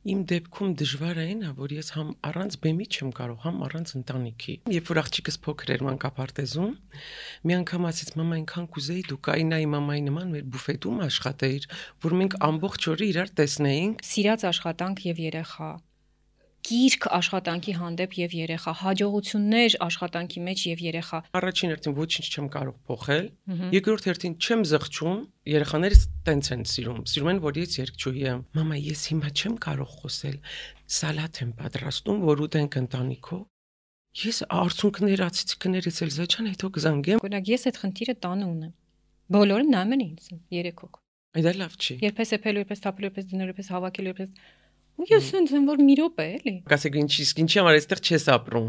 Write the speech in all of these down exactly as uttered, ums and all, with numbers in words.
Իմ դեպքում դժվար է այն, որ ես համ առանց բեմի չեմ կարող, համ առանց ընտանիքի։ Երբ որ աղջիկս փոքր էր մանկապարտեզում, մի անգամ ասեց մամա, այնքան կուզեի դու կայնայի մամայի նման մեր բուֆետում աշխատեիր, որ մենք ամբողջ օրը իրար տեսնեինք։ Սիրած աշխատանք եւ երեխա, գիրք աշխատանքի հանդեպ եւ երեխա, հաջողություններ աշխատանքի մեջ եւ երեխա։ Առաջին հերթին ոչինչ չեմ կարող փոխել, երկրորդ հերթին չեմ զղջում, երեխաներս տենց են սիրում, սիրում են, որ ես երգչուհի եմ։ Մամա, ես հիմա չեմ կարող խոսել, սալատ եմ պատրաստում, որ ուտենք ընտանիքով։ Ես արցունքներ, ացիկներս էլ զաչան, հետո կզանգեմ։ Օրինակ ես այդ խնդիրը տանը ունեմ։ Բոլորը նայում են ինձ, երեք հոգ։ Այդ լավ չի։ Երբես էփելու, երբես թափելու, երբես դնելու, երբես հավաքելու, երբես ու ես ինձ եմ որ մի րոպե էլի։ Կասեք ինչի, ինչի համար այստեղ չես ապրում։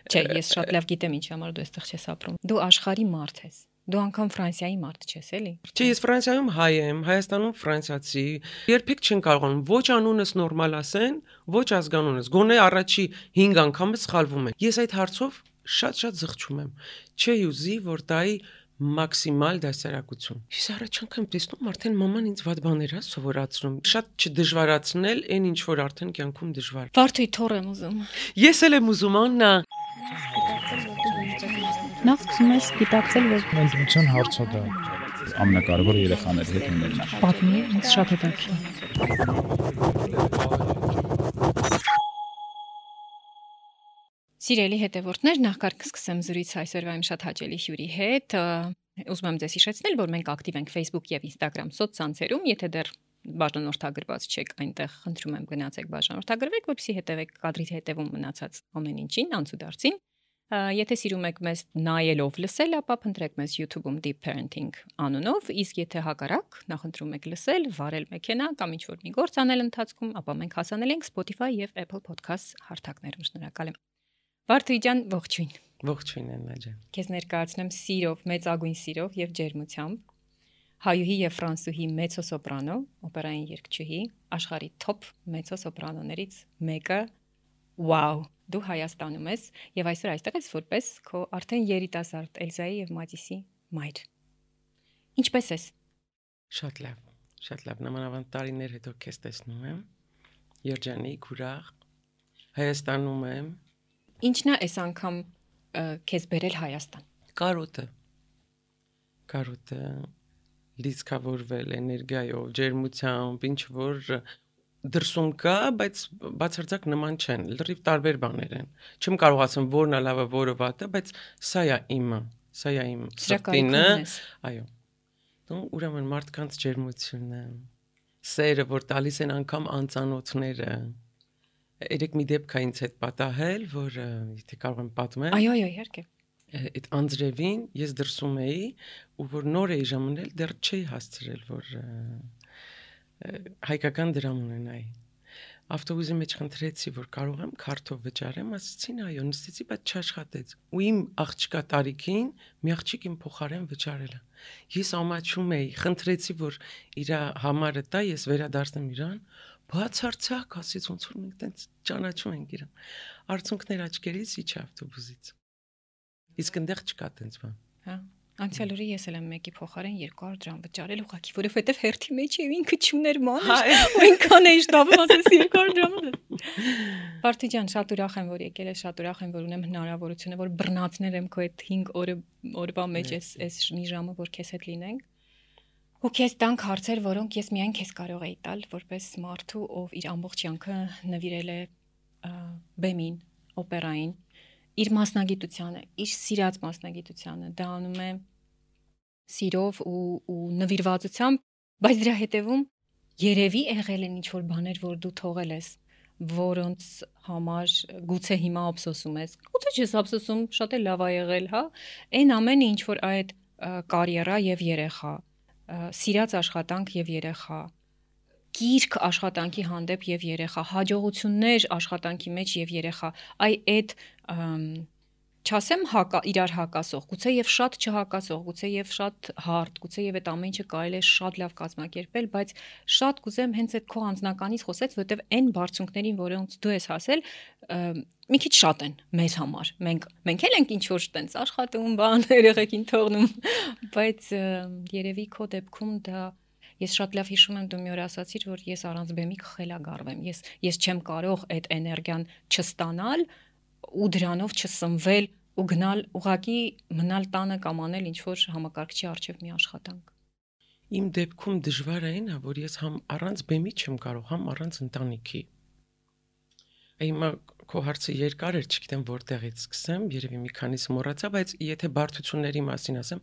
Չէ, ես շատ լավ գիտեմ ինչի համար դու այստեղ չես ապրում։ Դու աշխարհի մարդ ես։ Դու անգամ Ֆրանսիայի մարդ չես, էլի։ Չէ, ես Ֆրանսիայում հայ եմ, Հայաստանում ֆրանսիացի։ Երբեք չեն կարողանում ոչ անունս նորմալ ասեն, ոչ ազգանունս։ Գոնե առաջի հինգ անգամը սխալվում են։ Ես այդ հարցով շատ-շատ զղջում եմ։ Չէի ուզի, որ տայի մաքսիմալ դասարակություն։ Ես առաջ անգամ տեսնում արդեն մաման ինձ վատ բաներ է սովորացնում։ Շատ չդժվարացնել այն ինչ որ արդեն կյանքում դժվար։ Վարդուի թոր եմ ուզում։ Ես էլ եմ ուզում Աննա։ Նախ սկսում ես գիտակցել, որ Ընտրության հարցը դա ամենակարևորը երեխաների հետ ունենալը։ պատմի, ինձ շատ հետաքրքիր։ Սիրելի հետևորդներ, նախ կսկսեմ զրույց այսօրվա իմ շատ հաճելի հյուրի հետ։ Ուզում եմ ձեզ հիշեցնել, որ մենք ակտիվ ենք Facebook եւ Instagram սոցցանցերում, եթե դեռ բաժանորդագրված չեք այնտեղ, խնդրում եմ գնացեք բաժանորդագրվեք, որպեսզի հետևեք կադրի հետևում մնացած ամեն ինչին, անցուդարձին։ Եթե սիրում եք մեզ նայելով լսել, ապա փնտրեք մեզ YouTube-ում Deep Parenting անունով, իսկ եթե հակառակ նախընտրում եք լսել, վարել մեքենա կամ ինչ-որ մի գործ անել ընթացքում, ապա մենք հասանելի ենք Spotify եւ Apple Podcast հարթակներում։ Շնորհակալ եմ։ Վարդուի ջան, ողջույն։ Ողջույն Աննա ջան։ Քեզ ներկայացնեմ սիրով, մեծագույն սիրով եւ ջերմությամբ հայուհի եւ ֆրանսուհի մեծոսոպրանո, օպերային երգչուհի, աշխարհի top մեծոսոպրանոներից մեկը։ Վաու, դու Հայաստանում ես եւ այսօր այստեղ ես որպես քո արդեն երիտասարդ Էլզայի եւ Մատիսի մայր։ Ինչպե՞ս ես։ Շատ լավ, շատ լավ, նամանավանդ տարիներ հետո քեզ տեսնում եմ։ Երջանիկ, ուրախ։ Հայաստանում եմ։ Ինչն է այս անգամ քեզ բերել Հայաստան։ Կարոտը։ Կարոտը լիցքավորվել էներգիայով, ջերմությամբ, ինչ որ դրսում կա, բայց բացարձակ նման չեն, լրիվ տարբեր բաներ են։ Չեմ կարող ասեմ որն է լավը, որը վատը, բայց սա է իմը, սա է իմ սրտինը, այո։ Դու ուրեմն մարդկանց ջերմությունը, սերը, որ տալիս են անգամ անծանոթները։ Երեք մի դեպք է ինձ հետ պատահել, որ եթե կարող եմ պատմել։ Այո, այո, իհարկե։ Այդ անձրևին ես դրսում էի, ու որ նոր էի ժամանել, դեռ չէի հասցրել, որ հայկական դրամ ունենայի։ Ավտոբուսի մեջ խնդրեցի, որ կարող եմ քարտով վճարեմ, ասեցին այո, նստեցի, բայց չաշխատեց։ Ու իմ աղջկա տարիքին մի աղջիկ իմ փոխարեն վճարել է։ Ես ամաչում էի, խնդրեցի, որ իր համարը տա, ես վերադարձնեմ իրան, բացարձակ ասեց, ոնց որ մենք տենց ճանաչում ենք իրան։ Արցունքներ աչքերից իջ ավտոբուսից։ Իսկ այնտեղ չկա տենց բան։ Հա։ Անցյալ օրը ես էլ եմ մեկի փոխարեն երկու հարյուր դրամ վճարել, ուղղակի, որովհետև հերթի մեջ է ինքը չուներ մանր, ու ինքան էի շտապում, ասես երկու հարյուր դրամ։ Վարդի ջան, շատ ուրախ եմ, որ եկել ես, շատ ուրախ եմ, որ ունեմ հնարավորությունը, որ բռնացնել եմ քո այդ հինգ օրը օրվա մեջ էս էս մի ժամը, որ քեզ հետ լինենք։ Ու քեզ տանք հարցեր, որոնք ես միայն քեզ կարող էի տալ, որպես մարդու, ով իր ամբողջ կյանքը նվիրել է բեմին, օպերային, իր մասնագիտությանը, իր սիրած մասնագիտությանը, դա անում է սիրով ու ու նվիրվածությամբ, բայց դրա հետևում երևի եղել են ինչ-որ բաներ, որ դու թողել ես, որոնց համար գուցե հիմա ափսոսում ես, գուցե չես ափսոսում, շատ է լավ ա եղել, հա, այն ամենը ինչ որ այդ կարիերա եւ երեխա, սիրած աշխատանք եւ երեխա, գիրք աշխատանքի հանդեպ եւ երեխա, հաջողություններ աշխատանքի մեջ եւ երեխա, այ այդ չասեմ հակա իրար հակասող, գուցե եւ շատ չհակասող, գուցե եւ շատ հարթ, գուցե եւ այդ ամեն ինչը կարելի է շատ լավ կազմակերպել, բայց շատ կուզեմ հենց այդ քո անձնականից խոսեց, որովհետեւ այն բարձունքներին, որոնց դու ես հասել, մի քիչ շատ են մեզ համար։ Մենք մենք էլ ենք ինչ որ տենց աշխատում, բան երեխեքին թողնում, բայց երևի քո դեպքում դա Ես շատ լավ հիշում եմ դու մի օր ասացիր, որ ես առանց բեմի կխելագարվեմ։ Ես ես չեմ կարող այդ էներգիան չստանալ ու դրանով չսնվել ու գնալ ուղակի մնալ տանը կամ անել ինչ որ համակարգչի առջև մի աշխատանք։ Իմ դեպքում դժվար է այն, որ ես համ առանց բեմի չեմ կարող, համ առանց ընտանիքի։ Հիմա քո հարցը երկար էր, չգիտեմ որտեղից սկսեմ, երևի մի քանիսը մոռացա, բայց եթե բարդությունների մասին ասեմ,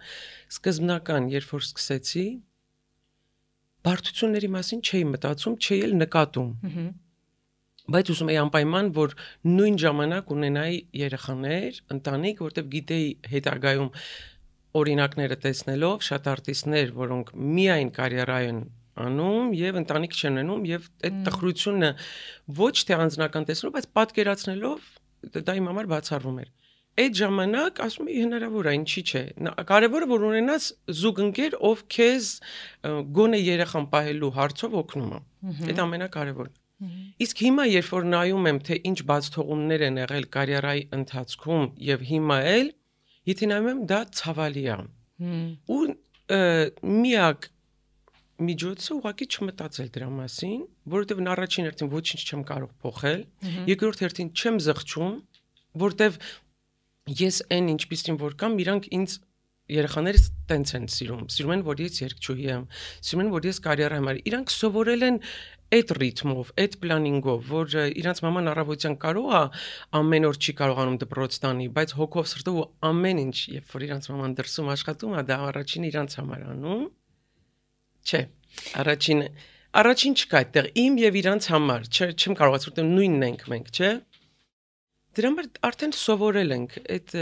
սկզբնական, երբ որ սկսեցի, բարդությունների մասին չէի մտածում, չէի էլ նկատում։ Բայց ուզում էի անպայման, որ նույն ժամանակ ունենայի երեխաներ, ընտանիք, որտեղ գիտեի հետագայում օրինակները տեսնելով, շատ արտիստներ, որոնք միայն կարիերա են անում եւ ընտանիք չեն ունենում եւ այդ տխրությունը ոչ թե անձնական տեսնելով, բայց պատկերացնելով դա իմ համար բացառվում էր։ Այդ ժամանակ ասում էի հնարավոր է, ինչի՞ չէ։ Կարևորը որ ունենաս զուգընկեր, ով քեզ գոնե երեխան պահելու հարցով օգնում է։ Այդ ամենակարևորն։ Իսկ հիմա երբ որ նայում եմ, թե ինչ բացթողումներ են եղել կարիերայի ընթացքում եւ հիմա էլ, եթե նայում եմ, դա ցավալի է։ Ու միակ միջոցը ուղղակի չմտածել դրա մասին, որովհետև առաջին հերթին ոչինչ չեմ կարող փոխել, երկրորդ հերթին չեմ զղջում, որովհետև ես այն ինչպիսին որ կամ իրանք ինձ երեխաներս տենց են սիրում, սիրում են որ ես երգչուհի եմ, սիրում են որ ես կարիերա եմ արել, իրանք սովորել են այդ ռիթմով, այդ պլանինգով, որ իրանց մաման առավոտյան կարող է ամեն օր չի կարողանում դպրոց տանի, բայց հոգով սրտով ու ամեն ինչ, երբ որ իրանց մաման դրսում աշխատում է, դա առաջին իրանց համար անում։ Չէ, առաջին առաջին չկա այդտեղ իմ եւ իրանց համար, չեմ կարող ասել, որ նույնն ենք մենք, չէ։ Դրա համար արդեն սովորել ենք, այդ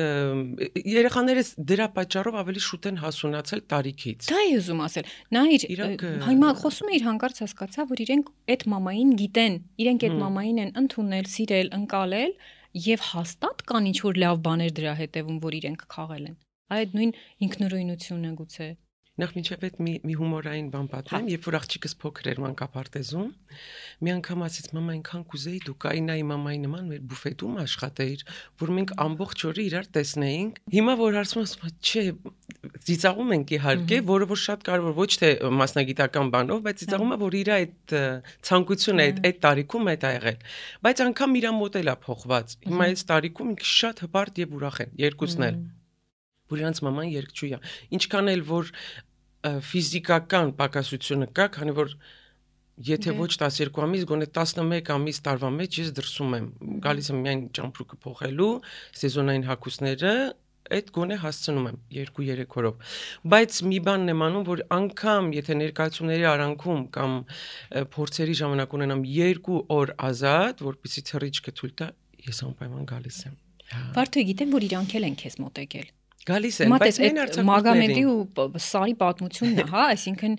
երեխաներս դրա պատճառով ավելի շուտ են հասունացել տարիքից։ Դա է ուզում ասել։ Նայիր, հիմա խոսում էիր հանկարծ հասկացա, որ իրենք այդ մամային գիտեն, իրենք այդ մամային են ընդունել, սիրել, ընկալել եւ հաստատ կան ինչ որ լավ բաներ դրա հետևում, որ իրենք քաղել են։ Այդ նույն ինքնուրույնությունը գուցե։ Նախ մինչև այդ մի, մի հումորային բան պատմեմ, երբ որ աղջիկս փոքր էր մանկապարտեզում, մի անգամ ասեց մամա այնքան կուզեի դու կայնայի մամայի նման մեր բուֆետում աշխատեիր, որ մենք ամբողջ օրը իրար տեսնեինք։ Հիմա որ հարցում ասում չէ, ծիծաղում ենք իհարկե, որը որ շատ կարևոր ոչ թե մասնագիտական բանով, բայց ծիծաղում է որ իր այդ ցանկությունը այդ այդ տարիքում այդ ա եղել։ Բայց անգամ իր մոտ էլ է փոխված։ Հիմա այս տարիքում ինքը շատ հպարտ եւ ուրախ են, երկուսն էլ։ Որ իրանց մաման երգչուհի է։ Ինչքան էլ որ ֆիզիկական պակասությունը կա, քանի որ եթե ոչ տասներկու ամիս, գոնե տասնմեկ ամիս տարվա մեջ ես դրսում եմ, գալիս եմ միայն ճամփրուկը փոխելու, սեզոնային հագուստները, այդ գոնե հասցնում եմ երկու-երեք օրով։ Բայց մի բանն եմ անում, որ անգամ եթե ներկայացումների արանքում կամ փորձերի ժամանակ ունենամ երկու օր ազատ, որպեսզի թռիչքը թույլ տա, ես անպայման գալիս եմ։ Վարդուհի, գիտեմ, որ իրանք էլ են քեզ մոտեկել։ Գալիս են, բայց այն արցախների Մագամեդի ու Սարի պատմությունն է, հա, այսինքն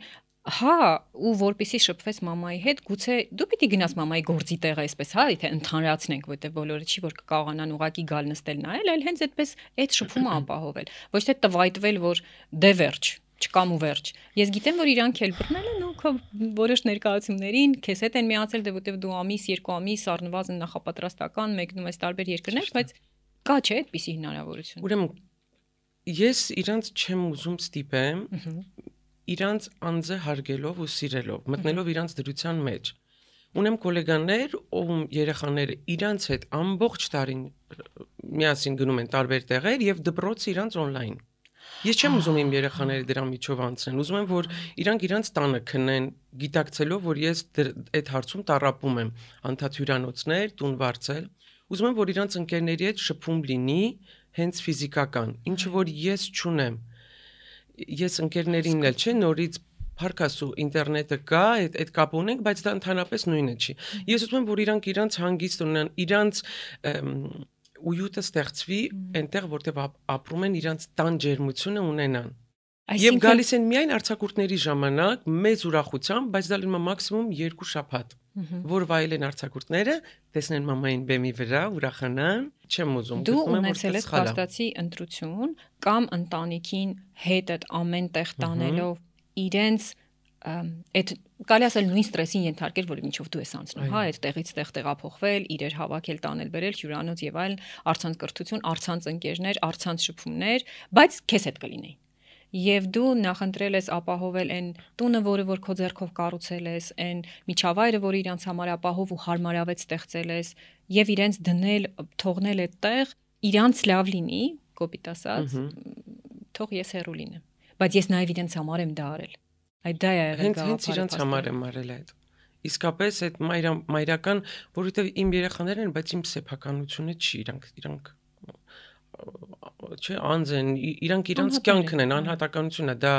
հա, ու որպեսի շփվես մամայի հետ, գուցե դու պիտի գնաս մամայի գործի տեղը, այսպես, հա, եթե ընդհանրացնենք, որտեղ բոլորը չի որ կկարողանան ուղակի գալ նստել նայել, այլ հենց այդպես այդ շփումը ապահովել։ Ոչ թե տվայտվել, որ դե վերջ, չկամ ու վերջ։ Ես գիտեմ, որ իրանք էլ բռնել են ու քո որոշ ներկայացումներին քեզ հետ են միացել, դե որտեղ դու ամիս, երկու ամիս առնվազն նախապատրաստական մեկնում ես տարբեր երկրներ, բայց կա չէ այդպիսի հնարավորություն։ Ուրեմն ես իրանց չեմ ուզում ստիպեմ, իրանց անձը հարգելով ու սիրելով, մտնելով իրանց դրության մեջ։ Ունեմ գոլեգաներ, ում երեխաները իրանց հետ ամբողջ տարին միասին գնում են տարբեր տեղեր եւ դպրոցը իրանց on-line։ Ես չեմ ուզում իմ երեխաները դրա միջով անցնեն, ուզում եմ որ իրանք իրանց տանը քնեն, գիտակցելով որ ես այդ հարցում տառապում եմ, անդադ հյուրանոցներ, տուն վարձել։ Ուզում եմ որ իրանց ընկերների հետ շփում լինի հենց ֆիզիկական, ինչը որ ես չունեմ։ Ես ընկերներինն էլ չէ, նորից փառքասու ինտերնետը կա, այդ այդ կապ ունենք, բայց դա ընդհանրապես նույնը չի։ Ես ուզում եմ որ իրանք իրանց հանգիստ ունենան, իրանց ույուտը ստեղծվի այնտեղ, որտեղ ապրում են, իրանց տան ջերմությունը ունենան։ Եվ գալիս են միայն արձակուրդների ժամանակ, մեծ ուրախությամբ, բայց դա լինում է մաքսիմում երկու շաբաթ, որ վայելեն արձակուրդները, տեսնեն մամային բեմի վրա, ուրախանան, չեմ ուզում։ Դու ունեցել ես փաստացի ընտրություն կամ ընտանիքին հետդ ամեն տեղ տանելով իրենց այդ կարելի ասել նույն ստրեսին ենթարկել, որի միջով դու ես անցնում, հա, այդ տեղից տեղ տեղափոխվել, իրեր հավաքել, տանել, բերել, հյուրանոց եւ այլն, առցանց կրթություն, առցանց ընկերներ, առցանց շփումներ, բայց քեզ հետ կլինեին։ եւ դու նախընտրել ես ապահովել այն տունը, որը որ քո ձեռքով կառուցել ես, այն միջավայրը, որը իրանց համար ապահով ու հարմարավետ ստեղծել ես եւ իրենց դնել, թողնել այդտեղ, իրանց լավ լինի, կոպիտ ասած, թող ես հեռու լինեմ, բայց ես նաեւ իրենց համար եմ դա արել։ Այդ դա է եղել գաղափարը։ Հենց իրենց համար եմ արել այդ։ Իսկապես այդ մայրական, որովհետեւ իմ երեխաներն են, բայց իմ սեփականությունը չի, իրանք իրանք չէ, անձ են, իրանք իրանք կյանքն են, անհատականությունը, դա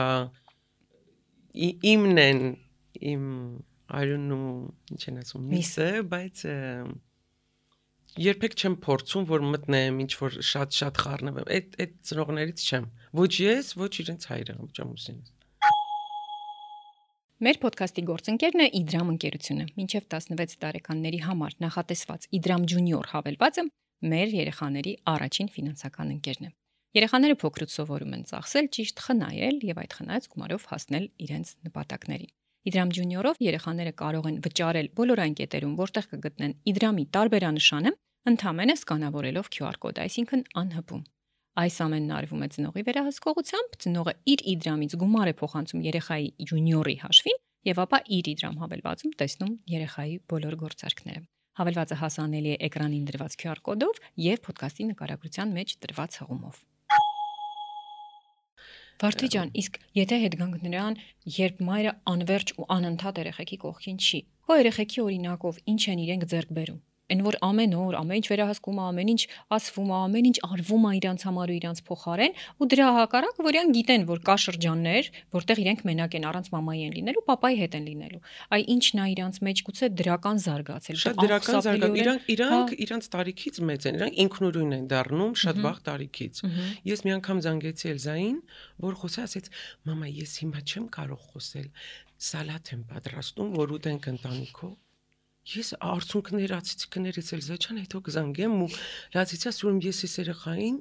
իմն են, իմ արյունն ու ինչ են ասում, միսը, բայց երբեք չեմ փորձում, որ մտնեմ, ինչ որ շատ-շատ խառնվեմ, այդ այդ ծնողներից չեմ, ոչ ես, ոչ իրենց հայրը, ոչ ամուսինս։ Մեր ոդքասթի գործընկերն է Իդրամ ընկերությունը։ Մինչև տասնվեց տարեկանների համար նախատեսված Իդրամ Junior հավելվածը մեր երեխաների առաջին ֆինանսական ընկերն է։ Երեխաները փոքրուց սովորում են ծախսել, ճիշտ խնայել եւ այդ խնայած գումարով հասնել իրենց նպատակներին։ Իդրամ Junior-ով երեխաները կարող են վճարել բոլոր այն կետերում, որտեղ կգտնեն Իդրամի տարբերանշանը, ընդհանրապես սկանավորելով Q R կոդ, այսինքն անհպում։ Այս ամենն արվում է ծնողի վերահսկողությամբ, ծնողը իր Իդրամից գումար է փոխանցում երեխայի Junior-ի հաշվին եւ ապա իր Իդրամ հավելվածում տեսնում երեխայի բոլոր գործարքները։ Հավելվածը հասանելի է էկրանին դրված Q R կոդով եւ ոդքասթի նկարագրության մեջ տրված հղումով։ Վարդի ջան, իսկ եթե հետ գանք նրան, երբ մայրը անverջ ու անընդհատ երեխեքի կողքին չի, քո երեխեքի օրինակով ինչ են իրենք ձեռք բերում։ Այն որ ամեն օր, ամեն ինչ վերահսկում է, ամեն ինչ ասվում է, ամեն ինչ արվում է իրանց համար ու իրանց փոխարեն, ու դրա հակառակ որ իրենք գիտեն, որ կա շրջաններ, որտեղ իրենք մենակ են, առանց մամայի են լինելու, պապայի հետ են լինելու։ Այ ինչն է իրանց մեջ գուցե դրական զարգացել։ Շատ դրական զարգացել։ Իրանք իրանք իրանց տարիքից մեծ են, իրանք ինքնուրույն են դառնում շատ վաղ տարիքից։ Ես մի անգամ զանգեցի Էլզային, որ խոսա, ասեց. «Մամա, ես հիմա չեմ կարող խոսել, սալատ եմ պատրաստում, որ ուտենք ընտանիքով»։ Ես արցունքներ ացիցիկներից Էլզա ջան, հետո կզանգեմ ու լացիցա ասում ես ես երեխային,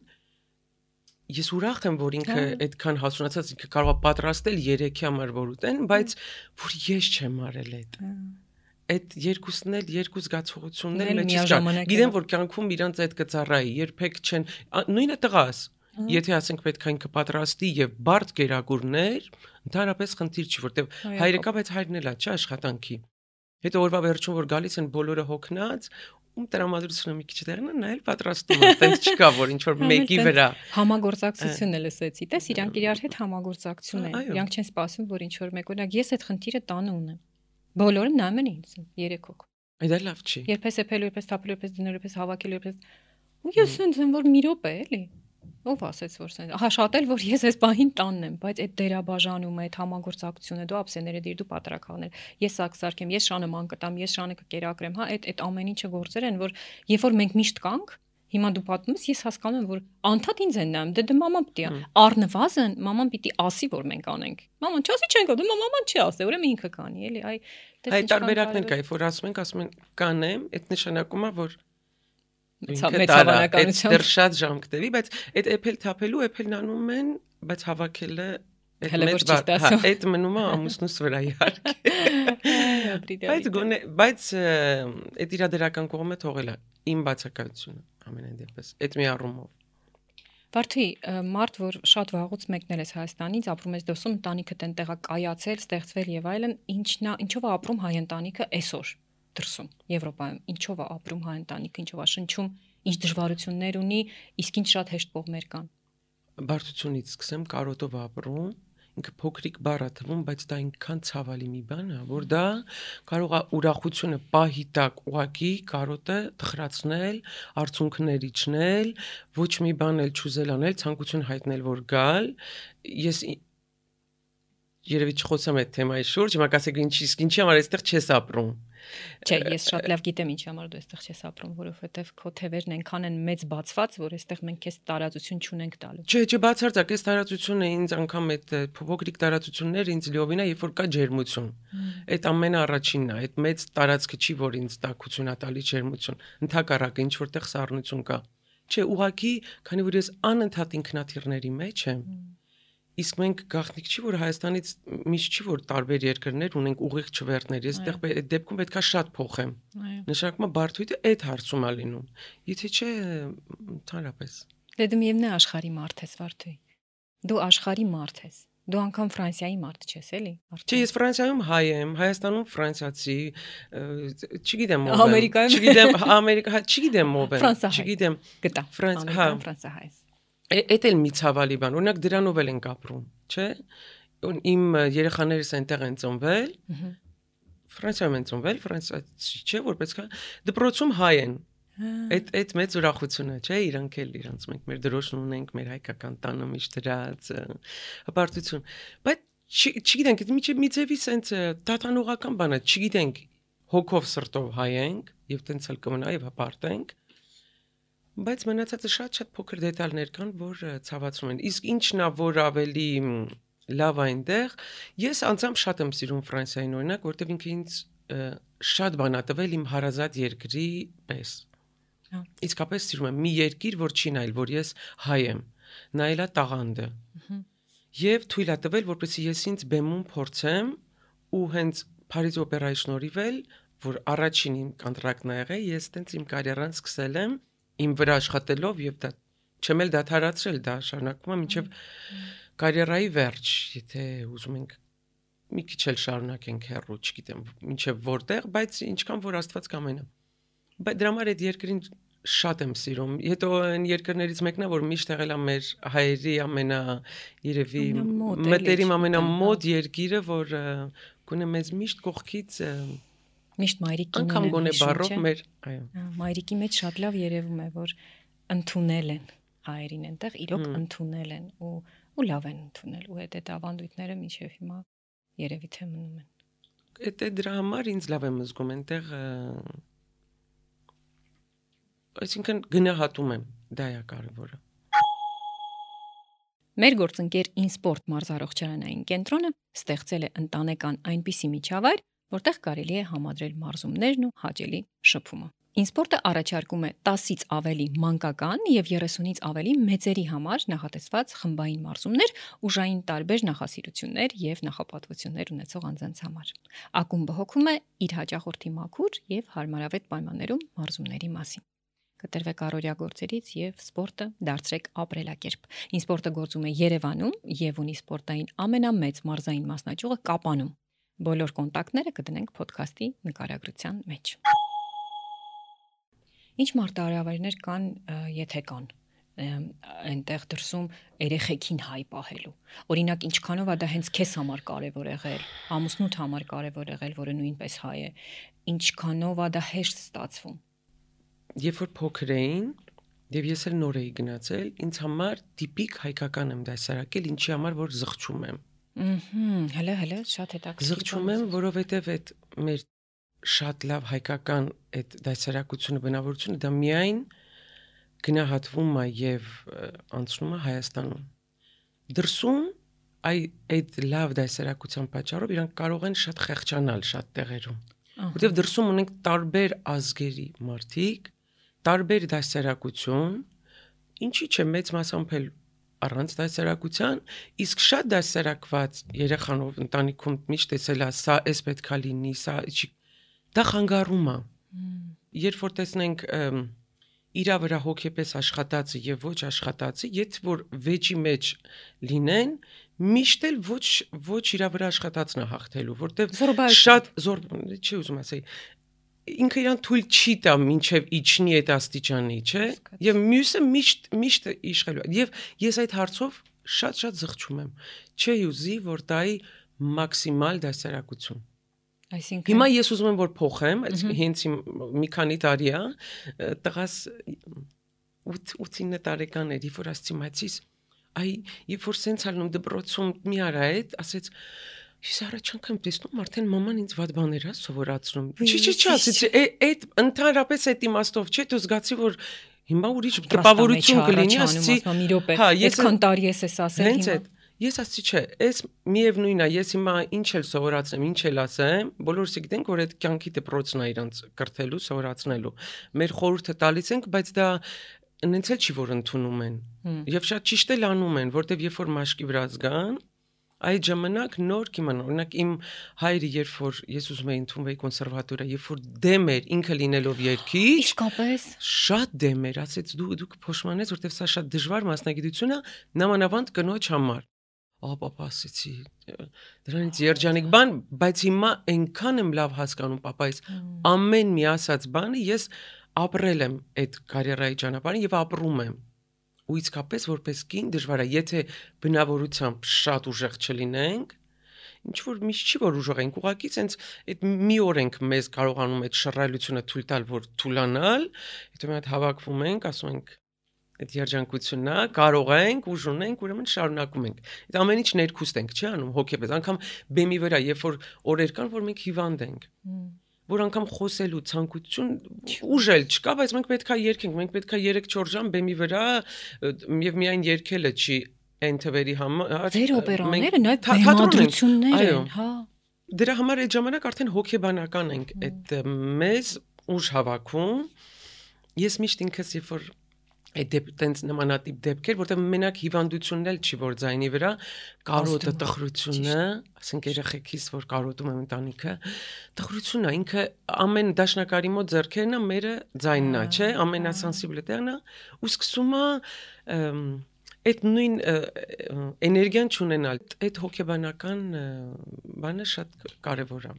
ես ուրախ եմ, որ ինքը այդքան հասունացած ինքը կարող է պատրաստել երեքի համար որ ուտեն, բայց որ ես չեմ արել այդ։ Այդ երկուսն էլ երկու զգացողություններ մեջից կան։ Գիտեմ, որ կյանքում իրանց այդ կծառայի, երբեք չեն, նույնը տղաս։ Եթե ասենք պետք է ինքը պատրաստի եւ բարդ գերագուրներ, ընդհանրապես խնդիր չի, որտեվ հայրը կա, բայց հայրն էլ է, չէ, աշխատանքի։ Հետո օրվա վերջում որ գալիս են բոլորը հոգնած, ում տրամադրությունը մի քիչ դեռն է, նա էլ պատրաստում է, այդպես չկա, որ ինչ որ մեկի վրա համագործակցությունն է լսեցի, տես իրանք իրար հետ համագործակցություն են, իրանք չեն սպասում, որ ինչ որ մեկ օրինակ ես այդ խնդիրը տանը ունեմ։ Բոլորը նայում են ինձ, երեք հոգ։ Այդ էլ լավ չի։ Երբես էփելու, երբես թափելու, երբես դնելու, երբես հավաքելու, երբես ու ես ինձ եմ որ մի րոպե էլի։ Ով ասեց որ սենց, ահա շատ էլ որ ես այս բանին տանն եմ, բայց այդ դերաբաժանումը, այդ համագործակցությունը, դու ափսեները դիր, դու պատրակաղներ, ես սա կսարքեմ, ես շանը ման կտամ, ես շանը կկերակրեմ, հա, այդ այդ ամեն ինչը գործեր են, որ երբ որ մենք միշտ կանք, հիմա դու պատմում ես, ես հասկանում եմ, որ անդադ ինձ են նայում, դե դե մաման պիտի առնվազն մաման պիտի ասի, որ մենք անենք։ Մաման չասի չենք, դու մաման չի ասի, ուրեմն ինքը կանի, էլի, այ այդ տարբերակներ կա, որ ասում ենք, ասում են կանեմ, այդ նշանակում է, որ մեծ հավանականությամբ դեռ շատ ժամ կտևի, բայց այդ էփել թափելու էփելն անում են, բայց հավաքելը այդ մեծ հա այդ մնում է ամուսնուս վրա իհարկե։ Բայց գոնե, բայց այդ իրադերական կողմը թողել է իմ բացակայությունը ամենայն դեպս, այդ մի առումով։ Վարդի, մարդ, որ շատ վաղուց մեկնել ես Հայաստանից, ապրում ես դասում, ընտանիքդ այնտեղա կայացել, ստեղծվել եւ այլն, ինչն է, ինչով է ապրում հայ ընտանիքը այսօր դրսում, Եվրոպայում, ինչով է ապրում հայ ընտանիքը, ինչով է շնչում, ինչ դժվարություններ ունի, իսկ ինչ շատ հեշտ կողմեր կան։ Բարդությունից սկսեմ, կարոտով ապրում, ինքը փոքրիկ բառ է թվում, բայց դա այնքան ցավալի մի բան է, որ դա կարող է ուրախությունը պահի տակ ուղակի կարոտը թխրացնել, արցունքներ իջնել, ոչ մի բան էլ չուզել անել, ցանկություն հայտնել, որ գալ։ Ես երևի չխոսեմ այդ թեմայի շուրջ, հիմա կասեք ինչի, ինչի համար այստեղ չես ապրում։ Չէ, ես շատ լավ գիտեմ ինչի համար դու այստեղ չես ապրում, որովհետև քո թևերն այնքան են մեծ բացված, որ այստեղ մենք քեզ տարածություն չունենք տալու։ Չէ, չէ, բացարձակ, այս տարածությունը ինձ անգամ այդ փոքրիկ տարածություններ ինձ լիովին է, երբ որ կա ջերմություն։ Այդ ամենը առաջինն է, այդ մեծ տարածքը չի, որ ինձ տաքություն է տալի ջերմություն։ Ընդհակառակը ինչ որտեղ սառնություն կա։ Չէ, ուղղակի, քանի որ ես անընդհատ ինքնաթիռների մեջ եմ, իսկ մենք գաղտնիք չի, որ Հայաստանից միշտ չի, որ տարբեր երկրներ ունենք ուղիղ չվերթներ։ Ես այդտեղ այդ դեպքում պետքա շատ փոխեմ։ Նշանակում է բարդույթը այդ հարցում է լինում։ Եթե չէ, ընդհանրապես։ Դե դու միևնույն աշխարհի մարդ ես, Վարդուի։ Դու աշխարհի մարդ ես։ Դու անգամ Ֆրանսիայի մարդ չես, էլի։ Չի, ես Ֆրանսիայում հայ եմ, Հայաստանում ֆրանսիացի, չգիտեմ ով եմ։ Ամերիկայում չգիտեմ, Ամերիկա, չգիտեմ ով եմ, չգիտեմ։ Գտա։ Ֆրանս, հա, ֆրանսահայ։ Էդ էլ մի ցավալի բան, օրինակ դրանով էլ ենք ապրում, չէ՞։ Իմ երեխաներս այնտեղ են ծնվել։ Ֆրանսիայում են ծնվել, ֆրանսիացի չէ, որպես կա դպրոցում հայ են։ Այդ այդ մեծ ուրախությունը, չէ՞, իրանք էլ իրանց մենք մեր դրոշն ունենք, մեր հայկական տանը միշտ դրած հպարտություն։ Բայց չգիտենք, միջև միձևի sense տատանողական բան է, չգիտենք հոգով սրտով հայ ենք եւ տենց էլ կմնա եւ հպարտենք։ Բայց մնացածը շատ-շատ փոքր դետալներ կան, որ ցավացնում են։ Իսկ ինչն է, որ ավելի լավ այնտեղ, ես անձամբ շատ եմ սիրում Ֆրանսիային օրինակ, որտեղ ինքը ինձ շատ բան ա տվել իմ հարազատ երկրի պես։ Իսկապես սիրում եմ մի երկիր, որ չի նայել, որ ես հայ եմ, նայելա տաղանդը։ Եվ թույլ ա տվել, որպեսզի ես ինձ բեմում փորձեմ ու հենց Փարիզ օպերայի շնորհիվ էլ, որ առաջին իմ կոնտրակտն ա եղել, ես տենց իմ կարիերան սկսել եմ իմ վրա աշխատելով եւ դա չեմ էլ դադարացրել, դա շարունակվում է մինչեւ կարիերայի վերջ, եթե ուզում ենք մի քիչ էլ շարունակենք հեռու, չգիտեմ, մինչեւ որտեղ, բայց ինչքան որ Աստված կամենա։ Բայց դրա համար այդ երկրին շատ եմ սիրում։ Հետո այն երկրներից մեկն է, որ միշտ եղել է մեր հայերի ամենա երևի մտերիմ ամենամոտ երկիրը, որ գոնե մեզ միշտ կողքից միշտ մայրիկին անգամ գոնե բառով մեր, այո։ Մայրիկի մեջ շատ լավ երևում է, որ ընդունել են հայերին այնտեղ, իրոք ընդունել են ու ու լավ են ընդունել ու այդ այդ ավանդույթները մինչև հիմա երևի թե մնում են։ Այդ դրա համար ինձ լավ եմ զգում այնտեղ, այսինքն գնահատում եմ, դա է կարևորը։ Մեր գործընկեր InSport մարզարողջարանային կենտրոնը ստեղծել է ընտանեկան այնպիսի միջավայր, որտեղ կարելի է համադրել մարզումներն ու հաճելի շփումը։ InSport-ը առաջարկում է տասից ավելի մանկական եւ երեսունից ավելի մեծերի համար նախատեսված խմբային մարզումներ, ուժային տարբեր նախասիրություններ եւ նախապատվություններ ունեցող անձանց համար։ Ակումբը հոգում է իր հաճախորդի մաքուր եւ հարմարավետ պայմաններում մարզումների մասին։ Կտրվեք առօրյա գործերից եւ սպորտը դարձրեք ապրելակերպ։ InSport-ը գործում է Երևանում եւ ունի սպորտային ամենամեծ մարզային մասնաճյուղը Կապանում։ Բոլոր կոնտակտները կդնենք ոդքասթի նկարագրության մեջ։ Ինչ մարտահրավերներ կան, եթե կան, այնտեղ դրսում երեխեքին հայ պահելու։ Օրինակ, ինչքանով է դա հենց քեզ համար կարևոր եղել, ամուսնուդ համար կարևոր եղել, որը նույնպես հայ է, ինչքանով է դա հեշտ ստացվում։ Երբ որ փոքր էին, եւ ես էլ նոր էի գնացել, ինձ համար տիպիկ հայկական եմ դասարակել, ինչի համար որ զղջում եմ։ Ահա, հələ հələ շատ հետաքրքիր։ Զղջում եմ, որովհետեւ այդ մեր շատ լավ հայկական այդ դասարակությունը, բնավորությունը դա միայն գնահատվում է եւ անցնում է Հայաստանում։ Դրսում այ այդ լավ դասարակության պատճառով իրանք կարող են շատ խեղճանալ շատ տեղերում։ Որտեւ դրսում ունենք տարբեր ազգերի մարդիկ, տարբեր դասարակություն, ինչի՞ չէ մեծ մասամբ էլ առանց դասարակության, իսկ շատ դասարակված երեխանով ընտանիքում միշտ տեսել է, սա էս պետքա լինի, սա չի, դա խանգարում է։ Երբ որ տեսնենք իրա վրա հոգեպես աշխատածը եւ ոչ աշխատածը, եթե որ վեճի մեջ լինեն, միշտ էլ ոչ ոչ իրա վրա աշխատածն է հաղթելու, որտեվ շատ զոր, չի ուզում ասել, ինքը իրան թույլ չի տա մինչև իջնի այդ աստիճանի, չէ՞։ Եվ մյուսը միշտ միշտ իշխելու։ Եվ ես այդ հարցով շատ-շատ զղջում եմ։ Չէ ուզի, որ տայի մաքսիմալ դասարակություն։ Այսինքն հիմա ես ուզում եմ որ փոխեմ, հենց մի քանի տարի է, տղաս ութ-ութ տարեկան էր, երբ որ ասեցի մայրից, այ երբ որ սենց ալնում դպրոցում մի արա այդ, ասեց ես առաջ անգամ տեսնում արդեն մաման ինձ վատ բաներ է սովորացնում։ Չի, չի, չի, ասեցի, այդ ընդհանրապես այդ իմաստով չէ, դու զգացի որ հիմա ուրիշ տպավորություն կլինի, ասեցի, հա, այսքան տարի ես էս ասել հիմա։ Ես ասացի չէ, այս միևնույնն է, ես հիմա ինչ էլ սովորացնեմ, ինչ էլ ասեմ, բոլորս գիտենք, որ այդ կյանքի դպրոցն է իրանց կրթելու, սովորացնելու։ Մեր խորհուրդը տալիս ենք, բայց դա նենց էլ չի որ ընդունում են։ Եվ շատ ճիշտ էլ անում են, որտեվ երբ որ մաշկի վրա զգան, Այդ ժամանակ նոր կիմանա, օրինակ իմ հայրը երբ որ ես ուզում էի ընդունվեի կոնսերվատորիա, երբ որ դեմ էր ինքը լինելով երգիչ, իսկապես շատ դեմ էր, ասեց դու դու կփոշմանես, որտեվ սա շատ դժվար մասնագիտություն է, նամանավանդ կնոջ համար։ Ահա պապա ասեցի, դրանից երջանիկ բան, բայց հիմա այնքան եմ լավ հասկանում պապայից, ամեն մի ասած բանը ես ապրել եմ այդ կարիերայի ճանապարհին եւ ապրում եմ։ Ու իսկապես որպես կին դժվար է, եթե բնավորությամբ շատ ուժեղ չլինենք, ինչ որ միշտ չի որ ուժեղ ենք, ուղղակի sense այդ մի օր ենք մեզ կարողանում այդ շռայլությունը թույլ տալ, որ թուլանալ, հետո մի հատ հավաքվում ենք, ասում ենք այդ երջանկությունն է, կարող ենք, ուժ ունենք, ուրեմն շարունակում ենք։ Այդ ամեն ինչ ներքուստ ենք, չի անում հոգեպես, անգամ բեմի վրա, երբ որ օրեր կան, որ մենք հիվանդ ենք։ Որ անգամ խոսելու ցանկություն ուժ էլ չկա, բայց մենք պետքա երգենք, մենք պետքա երեք-չորս ժամ բեմի վրա եւ միայն երգելը չի այն թվերի համար։ Ձեր օպերաները նաեւ բեմադրություններ են, հա։ Դրա համար այդ ժամանակ արդեն հոգեբանական ենք, այդ մեզ ուժ հավաքում։ Ես միշտ ինքս երբ որ այդ դեպտենց նմանատիպ դեպքեր, որտեղ մենակ հիվանդությունն էլ չի որ ձայնի վրա, կարոտը, տխրությունը, ասենք երեխեքիս որ կարոտում եմ ընտանիքը, տխրությունն է, ինքը ամեն դաշնակարի մոտ ձեռքերն է, մերը ձայնն է, չէ, ամենասենսիբլ տեղն է, ու սկսում է այդ նույն էներգիան չունենալ, այդ հոգեբանական բանը շատ կարևոր է։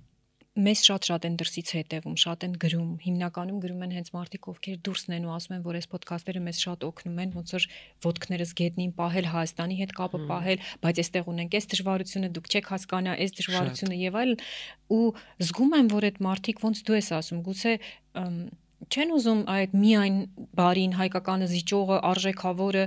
Մեզ շատ-շատ են դրսից հետևում, շատ են գրում, հիմնականում գրում են հենց մարդիկ, ովքեր դուրսն են ու ասում են, որ այս ոդքասթերը մեզ շատ օգնում են, ոնց որ ոդքներս գետնին պահել, Հայաստանի հետ կապը պահել, բայց այստեղ ունենք այս դժվարությունը, դուք չեք հասկանա այս դժվարությունը եւ այլն, ու զգում եմ, որ այդ մարդիկ ոնց դու ես ասում, գուցե չեն ուզում այդ միայն բարին հայկականը զիջողը արժեքավորը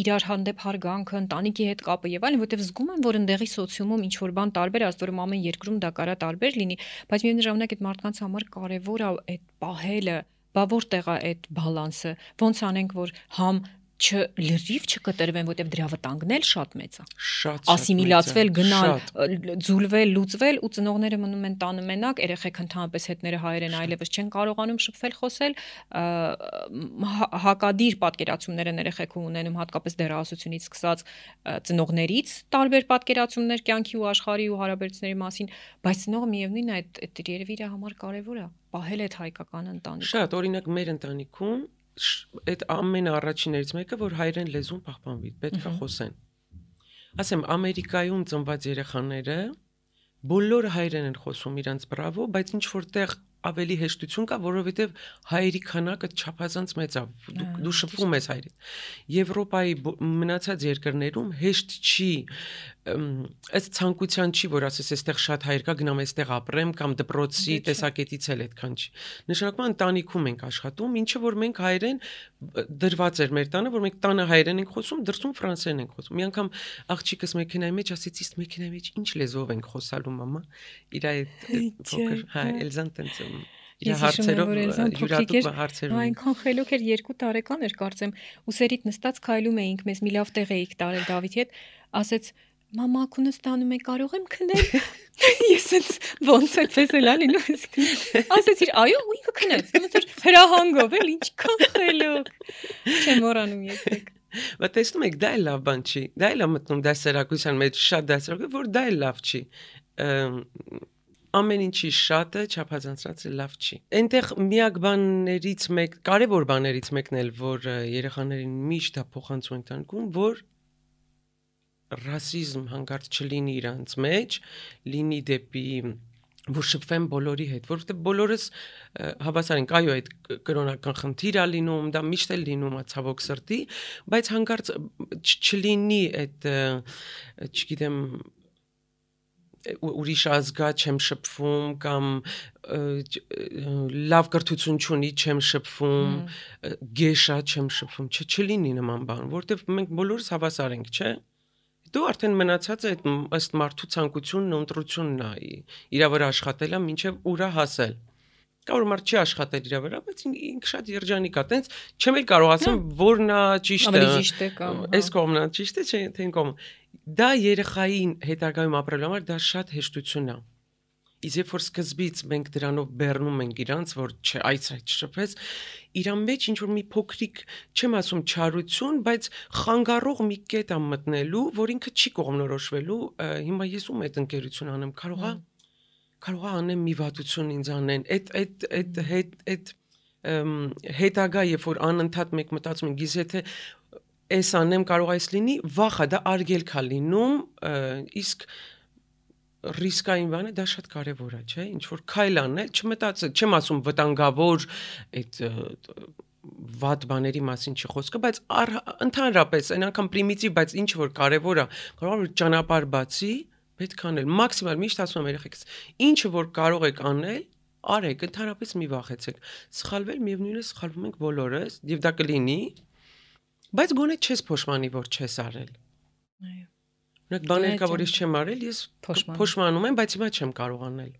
իրար հանդեպ հարգանքը ընտանիքի հետ կապը եւ այլն, որտեվ զգում են, որ ընդեղի սոցիումում ինչ որ բան տարբեր է, ասում ամեն երկրում դա կարա տարբեր լինի, բայց միևնույն ժամանակ այդ մարդկանց համար կարեւոր է այդ պահելը, բա որտեղ է այդ բալանսը, ոնց անենք, որ համ չլրիվ չկտրվեն, որտեվ դրա վտանգն էլ շատ մեծ է։ Շատ ասիմիլացվել, գնալ, ձուլվել, լուծվել ու ծնողները մնում են տանը մենակ, երեխեք ընդհանրապես հետները հայերեն այլևս չեն կարողանում շփվել, խոսել, հակադիր պատկերացումներ են երեխեքում ունենում, հատկապես դեռահասությունից սկսած ծնողներից տարբեր պատկերացումներ կյանքի ու աշխարհի ու հարաբերությունների մասին, բայց ծնողը միևնույնն է այդ երևի իր համար կարևոր է պահել այդ հայկական ընտանիքը։ Շատ, օրինակ մեր ընտանիքում այդ ամեն առաջիններից մեկը, որ հայերեն լեզուն պահպանվի, պետք է խոսեն։ Ասեմ, Ամերիկայում ծնված երեխաները բոլորը հայերեն են խոսում իրանց բրավո, բայց ինչ որտեղ ավելի հեշտություն կա, որովհետև հայերի քանակը չափազանց մեծ է, դու շփվում ես հայերից։ Եվրոպայի մնացած երկրներում հեշտ չի, ըստ ցանկության չի, որ ասես այստեղ շատ հայեր կա, գնամ այստեղ ապրեմ կամ դպրոցի տեսակետից էլ այդքան չի։ Նշանակում է ընտանիքում ենք աշխատում, ինչը որ մենք հայերեն դրված էր մեր տանը, որ մենք տանը հայերեն ենք խոսում, դրսում ֆրանսերեն ենք խոսում։ Մի անգամ աղջիկս մեքենայի մեջ ասեց, իսկ մեքենայի մեջ ինչ լեզվով ենք խոսալու մամա։ Իր այդ փոքր հայ Էլզան տենց իր հարցերով յուրատուկ հարցերով։ Այնքան խելոք էր, երկու տարեկան էր կարծեմ, ուսերիդ նստած քայլում էինք, մեզ մի լավ տեղ էինք տարել Դավիթի հետ, ասեց մամա քունը ստանում է, կարող եմ քնել։ Ես էս ոնց է ցեսել ալինու։ Ասեցիր, այո, ու ինքը քնեց։ Ոնց որ հրահանգով էլ ինչքան խելոք։ Չեմ մոռանում երբեք։ Բայց տեսնում եք, դա էլ լավ բան չի։ Դա էլ է մտնում դասերակցության մեջ շատ դասերակ, որ դա էլ լավ չի։ Ամեն ինչի շատը չափազանցած լավ չի։ Այնտեղ միակ բաներից մեկ, կարևոր բաներից մեկն էլ, որ երեխաներին միշտ է փոխանցում ընտանիքում, որ ռասիզմ հանկարծ չլինի իրանց մեջ, լինի դեպի որ շփվեն բոլորի հետ, որովհետև բոլորս հավասար ենք, այո, այդ կրոնական խնդիր է լինում, դա միշտ էլ լինում է ցավոք սրտի, բայց հանկարծ չլինի այդ, չգիտեմ, ուրիշ ազգա չեմ շփվում կամ լավ կրթություն չունի չեմ շփվում, գեշա չեմ շփվում, չլինի նման բան, որովհետև մենք բոլորս հավասար ենք, չէ՞։ Դու արդեն մնացած է ըստ մարդու ցանկությունն ու ընտրությունն է իր վրա աշխատելը մինչև ուրա հասել։ Կարող մարդ չի աշխատել իր վրա, բայց ինքը շատ երջանիկ է, տենց չեմ էլ կարող ասեմ որն է ճիշտը։ Այս կողմն է ճիշտը, չէ՞, թե այն կողմը։ Դա երեխային հետագայում ապրելու համար դա շատ հեշտություն է։ Իսկ երբ որ սկզբից մենք դրանով բեռնում ենք իրանց, որ չէ, այս այդ շփեց, իրան մեջ ինչ որ մի փոքրիկ, չեմ ասում չարություն, բայց խանգարող մի կետ ա մտնելու, որ ինքը չի կողմնորոշվելու, հիմա ես ում այդ ընկերություն անեմ, կարող է կարող է անեմ մի վատություն ինձ անեն, այդ այդ այդ հետ այդ հետագա, երբ որ անընդհատ մեկ մտածում ենք, իսկ եթե այս անեմ կարող է այս լինի, վախը դա արգելք է լինում, իսկ ռիսկային բանը դա շատ կարևոր է, չէ՞, ինչ որ քայլ անել, չմտածել, չեմ ասում վտանգավոր այդ վատ բաների մասին չի խոսքը, բայց ընդհանրապես այն անգամ պրիմիտիվ, բայց ինչ որ կարևոր է, կարող է ճանապարհ բացի, պետք է անել, մաքսիմալ միշտ ասում եմ երեխեքս, ինչը որ կարող եք անել, արեք, ընդհանրապես մի վախեցեք, սխալվել միևնույն է սխալվում ենք բոլորս, եւ դա կլինի, բայց գոնե չես փոշմանի, որ չես արել։ Այո։ Նույնիսկ բաներ կա, որ ես չեմ արել, ես փոշմանում եմ, բայց հիմա չեմ կարող անել։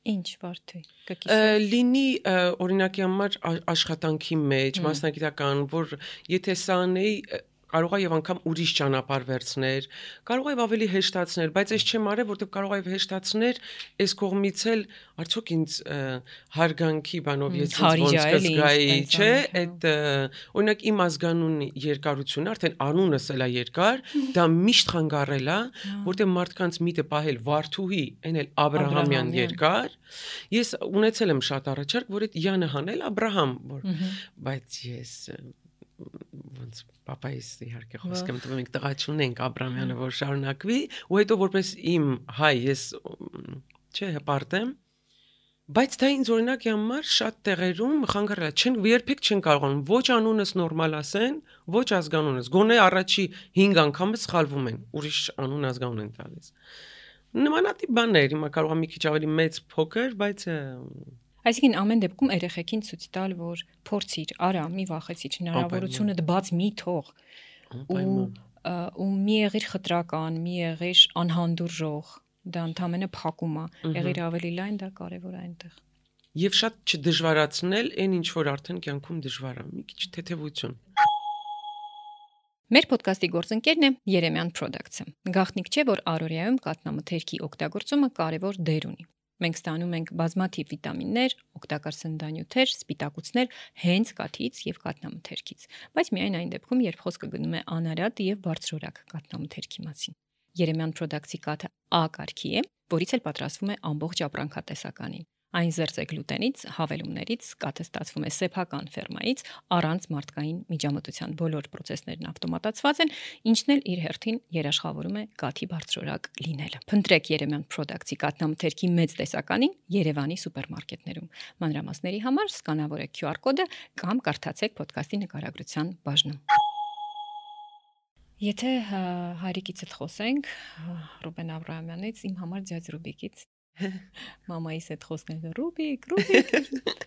Ինչ Վարդուհի, կկիսես։ Լինի օրինակի համար աշխատանքի մեջ, մասնագիտական, որ եթե սա անեի, կարող է եւ անգամ ուրիշ ճանապարհ վերցներ, կարող է ավելի հեշտացներ, բայց ես չեմ արել, որտեղ կարող է հեշտացներ, այս կողմից էլ արդյոք ինձ հարգանքի բանով ես ոնց կզգայի, չէ, այդ օրինակ իմ ազգանունի երկարությունը, արդեն անունս էլ է երկար, դա միշտ խանգարել է, որտեղ մարդկանց միտը պահել Վարդուհի, այն էլ Աբրահամյան երկար, ես ունեցել եմ շատ առաջարկ, որ այդ Յանը հանել Աբրահամ, որ բայց ես ոնց պապայիս իհարկե խոսքը մտնում ենք տղա չունենք Աբրամյանը որ շարունակվի ու հետո որպես իմ հայ ես չէ հպարտեմ բայց դա ինձ օրինակի համար շատ տեղերում խանգարել է չեն երբեք չեն կարողանում ոչ անունս նորմալ ասեն ոչ ազգանունս գոնե առաջի հինգ անգամը սխալվում են ուրիշ անուն ազգանուն են տալիս նմանատիպ բաներ հիմա կարող է մի քիչ ավելի մեծ փոքր բայց Այսինքն ամեն դեպքում երեխեքին ցույց տալ, որ փորձիր, արա, մի վախեցիր, հնարավորությունը դբաց մի թող։ Ու ու մի եղիր խտրական, մի եղիր անհանդուրժող, դա ընդհանրապես փակում է, եղիր ավելի լայն, դա կարևոր է այնտեղ։ Եվ շատ չդժվարացնել այն ինչ որ արդեն կյանքում դժվար է, մի քիչ թեթևություն։ Մեր ոդկասթի գործընկերն է Երեմյան Products-ը։ Գաղտնիք չէ, որ առօրյայում կաթնամթերքի օգտագործումը կարևոր դեր ունի։ Մենք ստանում ենք բազմաթիվ վիտամիններ, օգտակար սննդանյութեր, սպիտակուցներ հենց կաթից եւ կաթնամթերքից, բայց միայն այն դեպքում, երբ խոսքը գնում է անարատ եւ բարձրորակ կաթնամթերքի մասին։ Երեմյան Products-ի կաթը A կարգի է, որից էլ պատրաստվում է ամբողջ ապրանքատեսականին։ Այն զերծ է գլուտենից, հավելումներից, կաթը ստացվում է սեփական ֆերմայից, առանց մարդկային միջամտության բոլոր պրոցեսներն ավտոմատացված են, ինչն էլ իր հերթին երաշխավորում է կաթի բարձրորակ լինելը։ Փնտրեք Երեմյան Products-ի կաթնամթերքի մեծ տեսականին Երևանի սուպերմարկետներում։ Մանրամասների համար սկանավորեք Q R կոդը կամ կարդացեք ոդկասթի նկարագրության բաժնում։ Եթե հայրիկիցդ խոսենք, Ռուբեն Աբրահամյանից, իմ համար ձյաձ Ռուբիկից Մամայիս հետ խոսնել Ռուբիկ, Ռուբիկ։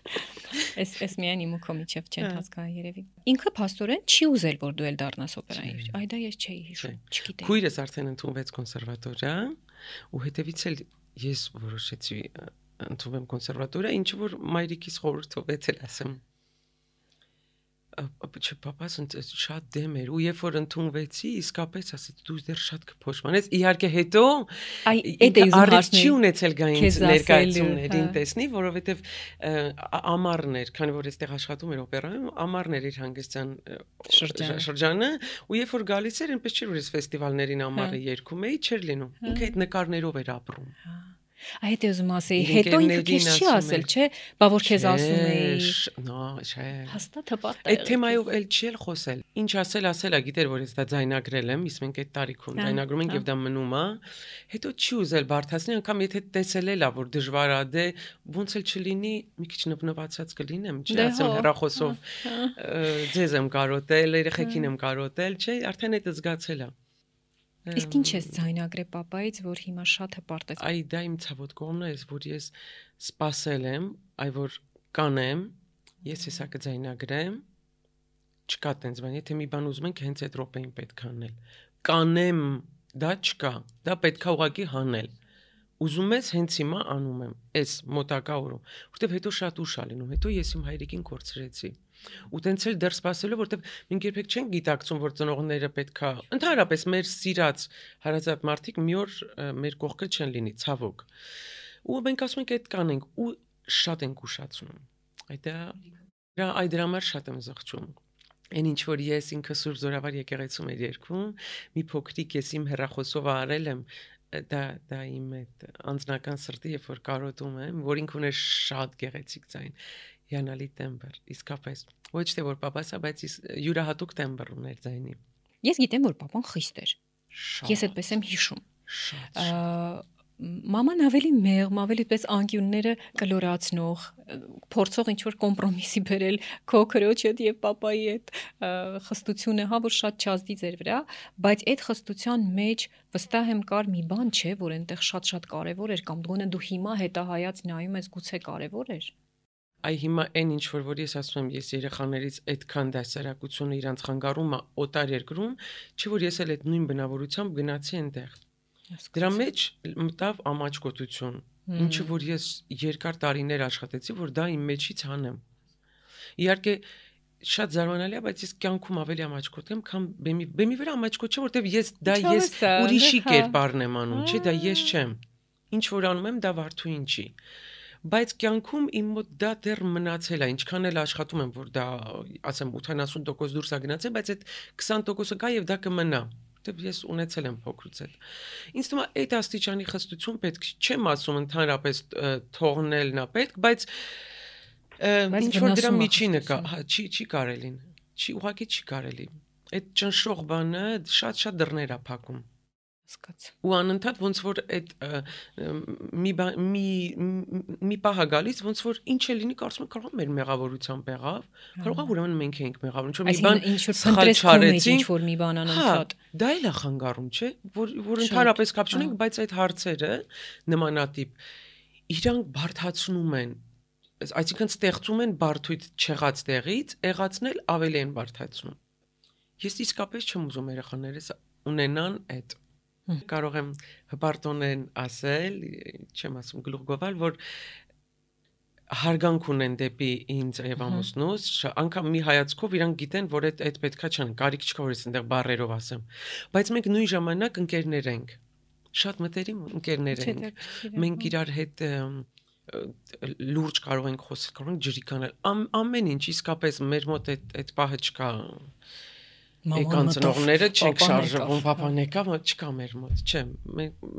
Էս էս միայն իմ ու քո միջև չեն հասկանում երևի։ Ինքը փաստորեն չի ուզել որ դու էլ դառնաս օպերայի։ Այ դա ես չէի հիշում, չգիտեի։ Քույրս արդեն ընդունվեց կոնսերվատորիա ու հետևից էլ ես որոշեցի ընդունվեմ կոնսերվատորիա, ինչը որ մայրիկիս խորհրդով էլ ասեմ։ Չէ, պապաս շատ դեմ էր ու երբ որ ընդունվեցի, իսկապես ասեց դու դեռ շատ կփոշմանես։ Իհարկե հետո առիթ չի ունեցել գային ներկայացումներին տեսնի, որովհետև ամառն էր, քանի որ այստեղ աշխատում էր օպերայում, ամառն էր իր հանգստյան շրջանը, ու երբ որ գալիս էր, այնպես չէր որ ես ֆեստիվալներին ամառը երգում էի, չէր լինում։ Ինքը այդ նկարներով էր ապրում։ Այդ ես ուզում ասեի, հետո ինքը քեզ չի ասել, չէ՞, բա որ քեզ ասում էի։ Նո, չէ։ Հաստատ հպարտ է։ Այդ թեմայով էլ չի էլ խոսել։ Ինչ ասել, ասել է, գիտեր որ ես դա ձայնագրել եմ, իսկ մենք այդ տարիքում ձայնագրում ենք եւ դա մնում է։ Հետո չի ուզել բարթացնել, անգամ եթե տեսել էլ է որ դժվար է, դե ոնց էլ չլինի, մի քիչ նվնվացած կլինեմ, չի ասեմ հեռախոսով ձեզ եմ կարոտել, երեխեքին եմ կարոտել, չէ, արդեն այդ զգացել է։ Իսկ ինչ ես ձայնագրել պապայից, որ հիմա շատ հպարտ ես։ Այ դա իմ ցավոտ կողմն է, որ ես սпасել եմ, այ որ կանեմ, ես հեսա կձայնագրեմ, չկա տենց բան, եթե մի բան ուզում ենք, հենց այդ րոպեին պետք է անել։ Կանեմ, դա չկա, դա պետք է ուղղակի հանել։ Ուզում ես հենց հիմա անում եմ, այս մոտակա օրում, որտեվ հետո շատ ուշ է լինում, հետո ես իմ հայրիկին կորցրեցի։ Ու տենց էլ դեռ սпасելու, որտեվ մենք երբեք չենք գիտակցում, որ ծնողները պետքա, ընդհանրապես մեր սիրած հարազատ մարդիկ մի օր մեր կողքը չեն լինի, ցավոք։ ու մենք ասում ենք այդ կանենք ու շատ ենք ուշացնում այդ դրա այդ դրա համար շատ եմ զղջում Այն ինչ որ ես ինքը Սուրբ Զորավար եկեղեցում էր երգում, մի փոքրիկ ես իմ հեռախոսով արել եմ, դա դա իմ այդ անձնական սրտի, երբ որ կարոտում եմ, որ ինքն ուներ շատ գեղեցիկ ձայն, հիանալի տեմբր, իսկապես։ Ոչ թե որ պապասա, բայց յուրահատուկ տեմբր ուներ ձայնի։ Ես գիտեմ, որ պապան խիստ էր։ Ես այդպես եմ հիշում։ Շատ Մաման ավելի մեղմ, ավելի պես անկյունները կլորացնող, փորձող ինչ-որ կոմպրոմիսի բերել քո քրոջ հետ եւ papayi հետ խստությունը, հա, որ շատ չազդի ձեր վրա, բայց այդ խստության մեջ վստահ եմ կար մի բան չէ, որ այնտեղ շատ-շատ կարեւոր էր կամ գոնե դու հիմա հետահայաց նայում ես գուցե կարեւոր էր։ Այ հիմա այն ինչ որ որ ես ասում եմ, ես երեխաներից այդքան դասարակությունը իրանց խանգարում է օտար երկրում, չէ որ ես էլ այդ նույն բնավորությամբ գնացի այնտեղ։ Դրա մեջ մտավ ամաչկոտություն, ինչը որ ես երկար տարիներ աշխատեցի, որ դա իմ մեջից հանեմ։ Իհարկե շատ զարմանալի է, բայց ես կյանքում ավելի ամաչկոտ եմ, քան բեմի բեմի վրա ամաչկոտ չէ, որտեվ ես դա ես ուրիշի կերպարն եմ անում, չէ, դա ես չեմ։ Ինչ որ անում եմ, դա վարդու ինչի։ Բայց կյանքում իմ մոտ դա դեռ մնացել է, ինչքան էլ աշխատում եմ, որ դա, ասեմ, ութանասուն տոկոս դուրս է գնացել, բայց այդ քսան տոկոսը կա եւ դա կմնա։ Դե ես ունեցել եմ փոքրուց այդ։ Ինձ թվում է այդ աստիճանի խստություն պետք չեմ ասում ընդհանրապես թողնելն է պետք, բայց ինչ որ դրա միջինը կա, հա, չի չի կարելին։ Չի ուղղակի չի կարելի։ Այդ ճնշող բանը շատ-շատ դռներ է փակում։ Հասկաց։ Ու անընդհատ ոնց որ այդ մի մի մի պահ գալիս ոնց որ ինչ է լինի կարծում եմ կարող է մեր մեղավորությամբ եղավ կարող է ուրեմն մենք ենք մեղավոր ինչ որ մի բան սխալ չարեցինք ինչ որ մի բան անընդհատ դա էլ է խանգարում չէ որ որ ընդհանրապես կապ չունենք բայց այդ հարցերը նմանատիպ իրանք բարդացնում են այսինքն ստեղծում են բարդույթ չեղած տեղից եղածնել ավելի են բարդացնում ես իսկապես չեմ ուզում երեխաներս ունենան այդ Կարող եմ հպարտոնեն ասել, չեմ ասում գլուխ գովալ, որ հարգանք ունեն դեպի ինձ եւ ամուսնուս, անգամ մի հայացքով իրանք գիտեն, որ այդ այդ պետքա չան, կարիք չկա որ ես այնտեղ բառերով ասեմ, բայց մենք նույն ժամանակ ընկերներ ենք, շատ մտերիմ ընկերներ ենք, մենք իրար հետ լուրջ կարող ենք խոսել, կարող ենք ջրիկ անել, ամեն ինչ իսկապես մեր մոտ այդ այդ պահը չկա Եկանցնողները չենք շարժվում, papan եկավ, չկա մեր մոտ, չէ,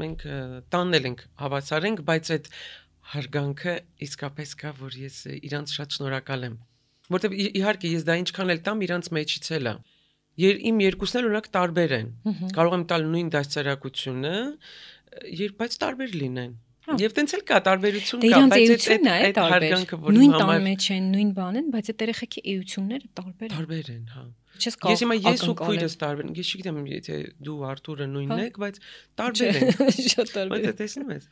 մենք տանել ենք, հավասար ենք, բայց այդ հարգանքը իսկապես կա, որ ես իրանց շատ շնորհակալ եմ, որտեղ իհարկե ես դա ինչքան էլ տամ, իրանց մեջից էլ է, իմ երկուսն էլ օրինակ տարբեր են, կարող եմ տալ նույն դաստիարակությունը, բայց տարբեր լինեն, Եվ տենց էլ կա տարբերություն կա, բայց այդ հարգանքը, որ նույն տան մեջ են, նույն բան են, բայց այդ երեխեքի էությունները տարբեր են։ Տարբեր են, հա։ Ես հիմա ես ու քույրս տարբեր են։ Ես չգիտեմ, եթե դու Արթուրը նույնն եք, բայց տարբեր են։ Շատ տարբեր։ Բայց տեսնում ես։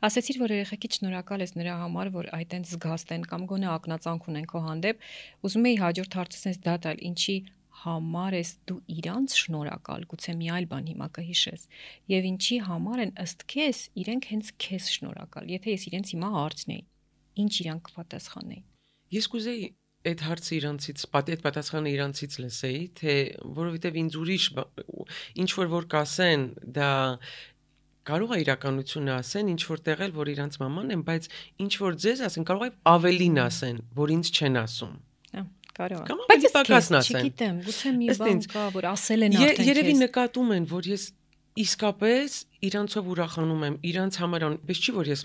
Ասեցիր, որ երեխեքի շնորհակալ ես նրա համար, որ այդ այնց զգաստ են կամ գոնե ակնածանք ունեն քո հանդեպ։ Ուզում էի հաջորդ հարցը sense դա տալ, ինչի համար ես դու իրանց շնորհակալ, գուցե մի այլ բան հիմա կհիշես, եւ ինչի համար են ըստ քեզ իրենք հենց քեզ շնորհակալ, եթե ես իրենց հիմա հարցնեի, ինչ իրանք կպատասխանեին։ Ես կուզեի այդ հարցը իրանցից, այդ պատասխանը իրանցից լսեի, թե որովհետեւ ինձ ուրիշ ինչ որ որ կասեն, դա կարող է իրականությունը ասեն, ինչ որ տեղել, որ իրանց մաման են, բայց ինչ որ ձեզ ասեն, կարող է ավելին ասեն, որ ինձ չեն ասում։ Կարող է։ Բայց պակասն ասեն։ Չգիտեմ, գուցե մի բան կա, որ ասել են արդեն քեզ։ Երևի նկատում են, որ ես իսկապես իրանցով ուրախանում եմ, իրանց համար, բայց չի որ ես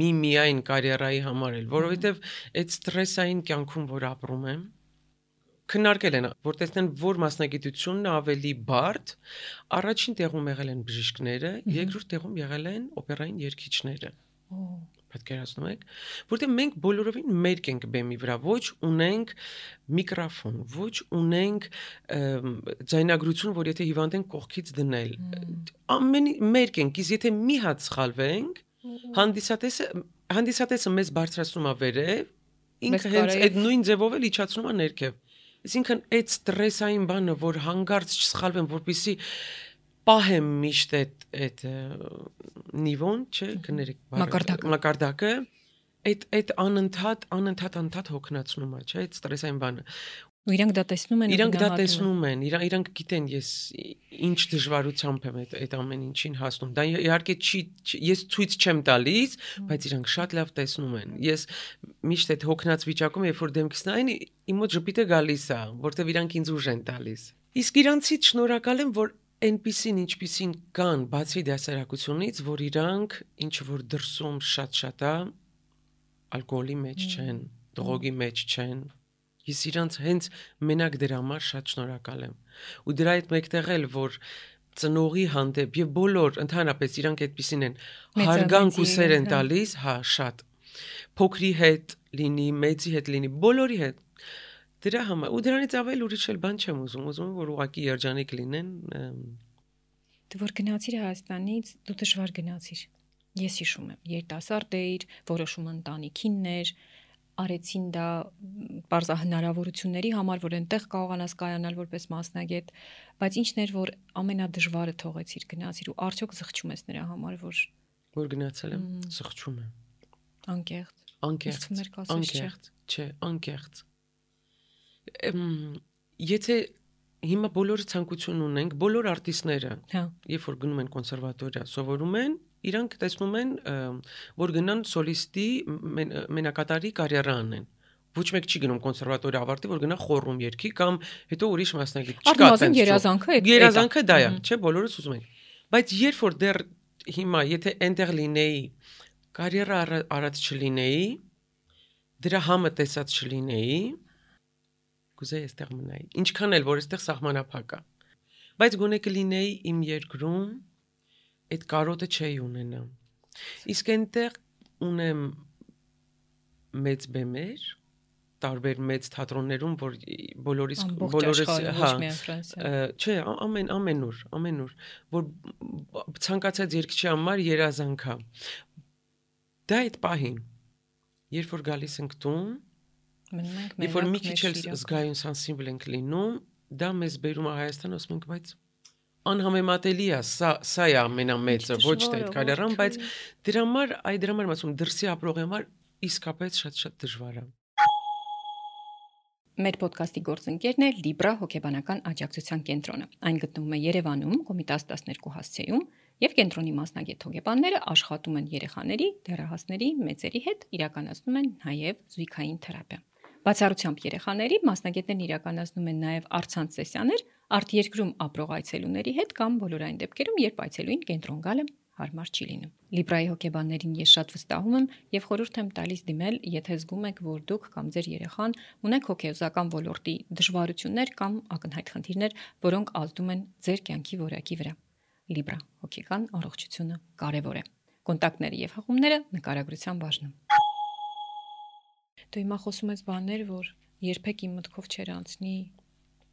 մի միայն կարիերայի համար էլ, որովհետև այդ ստրեսային կյանքում, որ ապրում եմ, քննարկել են, որ տեսնեն, որ մասնագիտությունն ավելի բարդ, առաջին տեղում եղել են բժիշկները, երկրորդ տեղում եղել են օպերային երգիչները։ Պատկերացնում եք, որտեղ մենք բոլորովին մերկ ենք բեմի վրա, ոչ ունենք միկրոֆոն, ոչ ունենք ձայնագրություն, որ եթե հիվանդ ենք կողքից դնել։ Ամեն մերկ ենք, իսկ եթե մի հատ սխալվենք, հանդիսատեսը հանդիսատեսը մեզ բարձրացնում է վերև, ինքը հենց այդ նույն ձևով էլ իջացնում է ներքև։ Այսինքն այդ ստրեսային բանը, որ հանգարց չսխալվեմ, որպեսզի պահեմ միշտ այդ այդ նիվոն, չէ, կներեք, մակարդակը, մակարդակը, այդ այդ անընդհատ անընդհատ անընդհատ հոգնածնում է, չէ՞, այդ ստրեսային բանը։ Ու իրանք դա տեսնում են, իրանք դա տեսնում են, իրանք իրանք գիտեն ես ինչ դժվարությամբ եմ այդ այդ ամեն ինչին հասնում։ Դա իհարկե չի, ես ցույց չեմ տալիս, բայց իրանք շատ լավ տեսնում են։ Ես միշտ այդ հոգնած վիճակում, երբ որ դեմքս նայեն, իմ մոտ ժպիտը գալիս է, որտեվ իրանք ինձ ուժ են տալիս։ Իսկ իրանցից շնորհակալ եմ, որ այնպիսին ինչպիսին կան բացի դասերակցությունից, որ իրանք ինչ որ դրսում շատ-շատ է ալկոհոլի մեջ չեն, դրոգի մեջ չեն։ Ես իրանց հենց մենակ դրա համար շատ շնորհակալ եմ։ Ու դրա հետ մեկտեղ էլ որ ծնողի հանդեպ եւ բոլոր ընդհանրապես իրանք այդպեսին են հարգանք ու սեր են տալիս, հա, շատ։ Փոքրի հետ լինի, մեծի հետ լինի, բոլորի հետ։ Դրա համար ու դրանից ավել ուրիշ էլ բան չեմ ուզում, ուզում եմ որ ուղղակի երջանիկ լինեն։ Դու որ գնացիր Հայաստանից, դու դժվար գնացիր։ Ես հիշում եմ, երիտասարդ էիր, որոշումը ընտանիքինն էր, արեցին դա բարձա հնարավորությունների համար, որ այնտեղ կարողանաս կայանալ որպես մասնագետ, բայց ինչն էր, որ ամենադժվարը թողեցիր գնացիր ու արդյոք զղջում ես նրա համար, որ որ գնացել եմ, զղջում եմ։ Անկեղծ։ Անկեղծ։ Անկեղծ, չէ, անկեղծ։ Եթե հիմա բոլորը ցանկություն ունենք, բոլոր արտիստները, երբ որ գնում են կոնսերվատորիա, սովորում են, իրանք տեսնում են, որ գնան սոլիստի մենակատարի կարիերա անեն։ Ոչ մեկ չի գնում կոնսերվատորիա ավարտի, որ գնա խորհում երգի կամ հետո ուրիշ մասնագետ չկա։ Արդեն երազանքը է։ Երազանքը դա է, չէ, բոլորս ուզում են։ Բայց երբ որ դեռ հիմա եթե այնտեղ լինեի, կարիերա արած չլինեի, դրա համը տեսած չլինեի, կուզեի այստեղ մնայի։ Ինչքան էլ որ այստեղ սահմանափակ է։ Բայց գոնե կլինեի իմ երկրում, այդ կարոտը չէի ունենա։ Իսկ այնտեղ ունեմ մեծ բեմեր, տարբեր մեծ թատրոններում, որ բոլորիս բոլորս, հա, չէ, ամեն ամենուր, ամենուր, որ ցանկացած երգչի համար երազանք է։ Դա այդ պահին, երբ որ գալիս ենք տուն, երբ որ մի քիչ էլ զգայուն սանսիբլ ենք լինում, դա մեզ բերում է Հայաստան, ասում ենք, բայց անհամեմատելի է, սա սա է ամենամեծը, ոչ թե այդ կարիերան, բայց դրա համար, այ դրա համար եմ ասում, դրսի ապրողի համար իսկապես շատ-շատ դժվար է։ Մեր ոդկասթի գործընկերն է Libra հոգեբանական աջակցության կենտրոնը։ Այն գտնվում է Երևանում, Կոմիտաս տասներկու հասցեում, եւ կենտրոնի մասնագետ հոգեբանները աշխատում են երեխաների, դեռահասների, մեծերի հետ, իրականացնում են նաեւ զույգային թերապիա։ Բացառությամբ երեխաների մասնագետներն իրականացնում են նաև առցանց սեսիաներ արտերկրում ապրող այցելուների հետ կամ բոլոր այն դեպքերում, երբ այցելուին կենտրոն գալը հարմար չի լինում։ Libra'i հոգեբաններին ես շատ վստահում եմ եւ խորհուրդ եմ տալիս դիմել, եթե զգում եք, որ դուք կամ ձեր երեխան ունեք հոգեբանական ոլորտի դժվարություններ կամ ակնհայտ խնդիրներ, որոնք ազդում են ձեր կյանքի որակի վրա։ Libra հոգեկան առողջությունը կարևոր է։ Կոնտակտները եւ հղումները նկարագրության բաժնում։ Դու հիմա խոսում ես բաներ, որ երբեք իմ մտքով չեր անցնի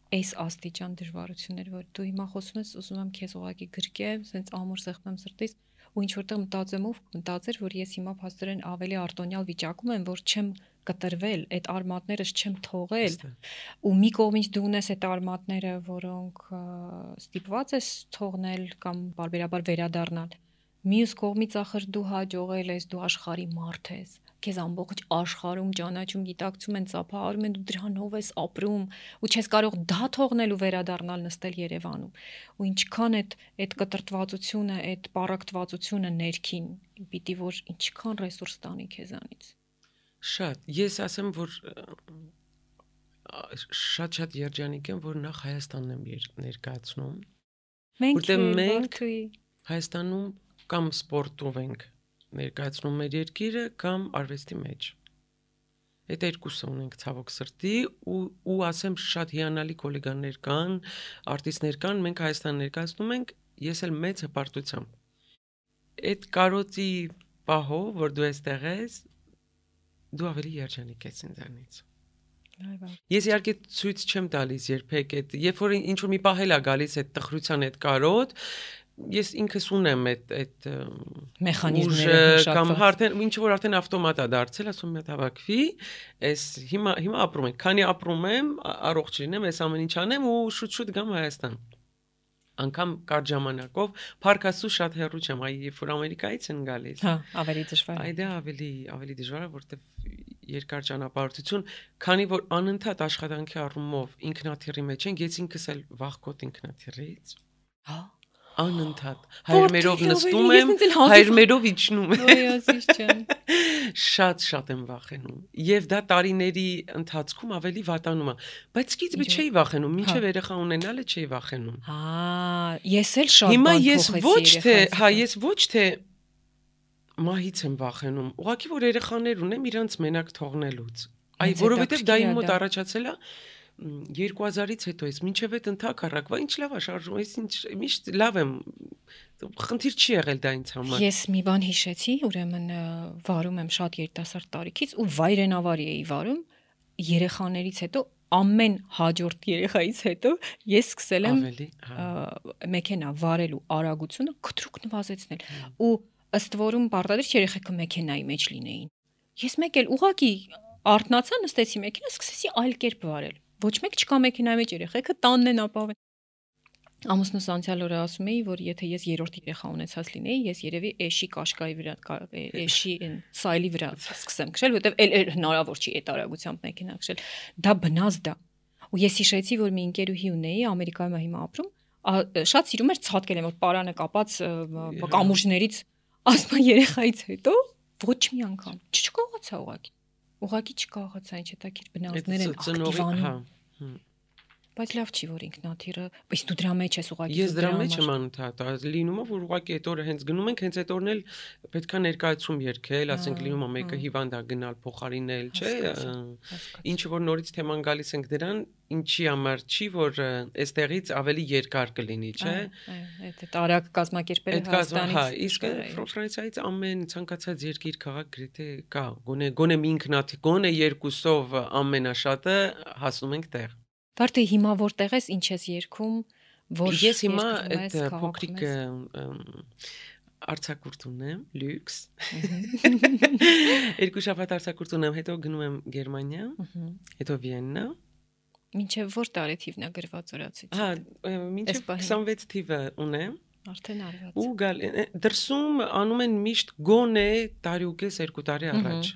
այս աստիճան դժվարություններ, որ դու հիմա խոսում ես, ուզում եմ քեզ ուղակի գրկեմ, սենց ամուր սեղմեմ սրտից ու ինչ որտեղ մտածեմ ու մտածեր, որ ես հիմա փաստորեն ավելի արտոնյալ վիճակում եմ, որ չեմ կտրվել, այդ արմատներս չեմ թողել ու մի կողմից դու ունես այդ արմատները, որոնք ստիպված ես թողնել կամ բարբերաբար վերադառնալ։ Մյուս կողմից ախր դու հաջողել ես, դու աշխարհի մարդ ես, քեզ ամբողջ աշխարհում ճանաչում, գիտակցում են, ծափահարում են, դու դրանով ես ապրում ու չես կարող դա թողնել ու վերադառնալ նստել Երևանում։ Ու ինչքան այդ այդ կտրտվածությունը, այդ պարակտվածությունը ներքին, պիտի որ ինչքան ռեսուրս տանի քեզանից։ Շատ, ես ասեմ, որ շատ-շատ երջանիկ եմ, որ նախ Հայաստանն եմ ներկայացնում։ Որտեղ մենք Հայաստանում կամ սպորտով ենք ներկայացնում մեր երկիրը կամ արվեստի մեջ։ Այդ երկուսը ունենք ցավոք սրտի ու ու ասեմ շատ հիանալի գոլեգաներ կան, արտիստներ կան, մենք Հայաստան ներկայացնում ենք, ես էլ մեծ հպարտությամբ։ Այդ կարոտի պահով, որ դու այստեղ ես, դու ավելի երջանիկ ես ինձանից։ Ես իհարկե ցույց չեմ տալիս երբեք այդ, երբ որ ինչ որ մի պահ էլ է գալիս այդ տխրության այդ կարոտ, ես ինքս ունեմ այդ այդ մեխանիզմները կամ արդեն ինչ որ արդեն ավտոմատ է դարձել, ասում եմ հավաքվի, այս հիմա հիմա ապրում եմ, քանի ապրում եմ, առողջ լինեմ, այս ամեն ինչ անեմ ու շուտ-շուտ գամ Հայաստան։ անգամ կար ժամանակով Փարքասու շատ հեռու չեմ, այ երբ որ Ամերիկայից են գալիս։ Հա, ավելի դժվար։ Այ դա ավելի ավելի դժվար է, որտեվ երկար ճանապարհորդություն, քանի որ անընդհատ աշխատանքի առումով ինքնաթիռի մեջ են, ես ինքս էլ վախկոտ ինքնաթիռից։ Հա, անընդհատ հայրմերով նստում եմ, հայրմերով իջնում եմ։ Ոյազիչ չեմ։ Շատ շատ եմ վախենում։ Եվ դա տարիների ընթացքում ավելի վատանում է, բայց սկիզբը չէի վախենում, մինչև երեխա ունենալը չէի վախենում։ Հա, ես էլ շատ Հիմա բան ես փոխեցի ոչ թե, երեխայից հա, հետո։ ես ոչ թե մահից եմ վախենում, ուղղակի որ երեխաներ ունեմ իրանց մենակ թողնելուց։ Այ Ինձ որովհետև դա իմ հետաքրքիր է մոտ դա։ առաջացել է երկու հազարից հետո ես մինչև այդ ընդհակառակվա ինչ լավ է շարժում, ես ինչ միշտ լավ եմ, խնդիր չի եղել դա ինձ համար։ Ես մի բան հիշեցի, ուրեմն ը, վարում եմ շատ երիտասարդ տարիքից ու վայրենավարի էի վարում երեխաներից հետո ամեն հաջորդ երեխայից հետո ես սկսել եմ Ավելի, հա։ ը, մեքենա վարելու արագությունը կտրուկ նվազեցնել ու ըստ որում պարտադիր չէ երեխեքը մեքենայի մեջ լինեին։ Ես մեկ էլ ուղակի արթնացա, նստեցի մեքենա, սկսեցի այլ կերպ վարել։ Ոչ մեկ չկա մեքենայի մեջ, երեխեքը տանն են ապավեն։ Ամուսնուս անցյալ օրը ասում էի, որ եթե ես երրորդ երեխա ունեցած լինեի, ես երևի էշի կաշկայի վրա, կա- է- էշի այն սայլի վրա սկսեմ քշել, որովհետև էլ էլ հնարավոր չի այդ արագությամբ մեքենա քշել։ Դա բնազ դա։ Ու ես հիշեցի, որ մի ընկերուհի ունեի, Ամերիկայում է հիմա ապրում, ա- շատ սիրում էր ցածկել, որ պարանը կապած ը, ը, կամուրջներից, ասում է երեխայից հետո ոչ մի անգամ չկողացա ուղակի։ Ուղակի չկողացա, ինչ հետաքրքիր բնազդներ են ակտիվանում։ հա։ Բայց լավ չի որ ինքնաթիռը, բայց դու դրա մեջ ես ուղակի Ես դրա մեջ եմ անընդհատ, լինում է որ ուղղակի այդ օրը հենց գնում ենք, հենց այդ օրն էլ պետքա ներկայացում երգել, ասենք լինում է մեկը հիվանդ է գնալ փոխարինել, չէ՞, ինչ որ նորից թեման գալիս ենք դրան, ինչի համար չի, որ այստեղից ավելի երկար կլինի, չէ՞։ Այդ արագ կազմակերպել Այդ կազմը, հա, իսկ Ֆրանսիայից ամեն ցանկացած երկիր քաղաք գրեթե կա, գոնե գոնե մի ինքնաթիռ, գոնե երկուսով ամենաշատը հասնում ենք տեղ։ Վարդի հիմա որտեղ ես, ինչ ես երգում, որ Ես հիմա երկրում այդ ես, քաղաքում փոքրիկ ես։ ըմ, արձակուրդ ունեմ, լյուքս։ Երկու շաբաթ արձակուրդ ունեմ, հետո գնում եմ Գերմանիա, Ահա։ հետո Վիեննա։ Մինչև որ տարեթիվն է գրված օրացից։ Հա, մինչև պահին։ քսանվեց թիվը ունեմ։ Արդեն արված։ Ու գալ դրսում անում են միշտ գոնե տարի ու կես երկու տարի առաջ։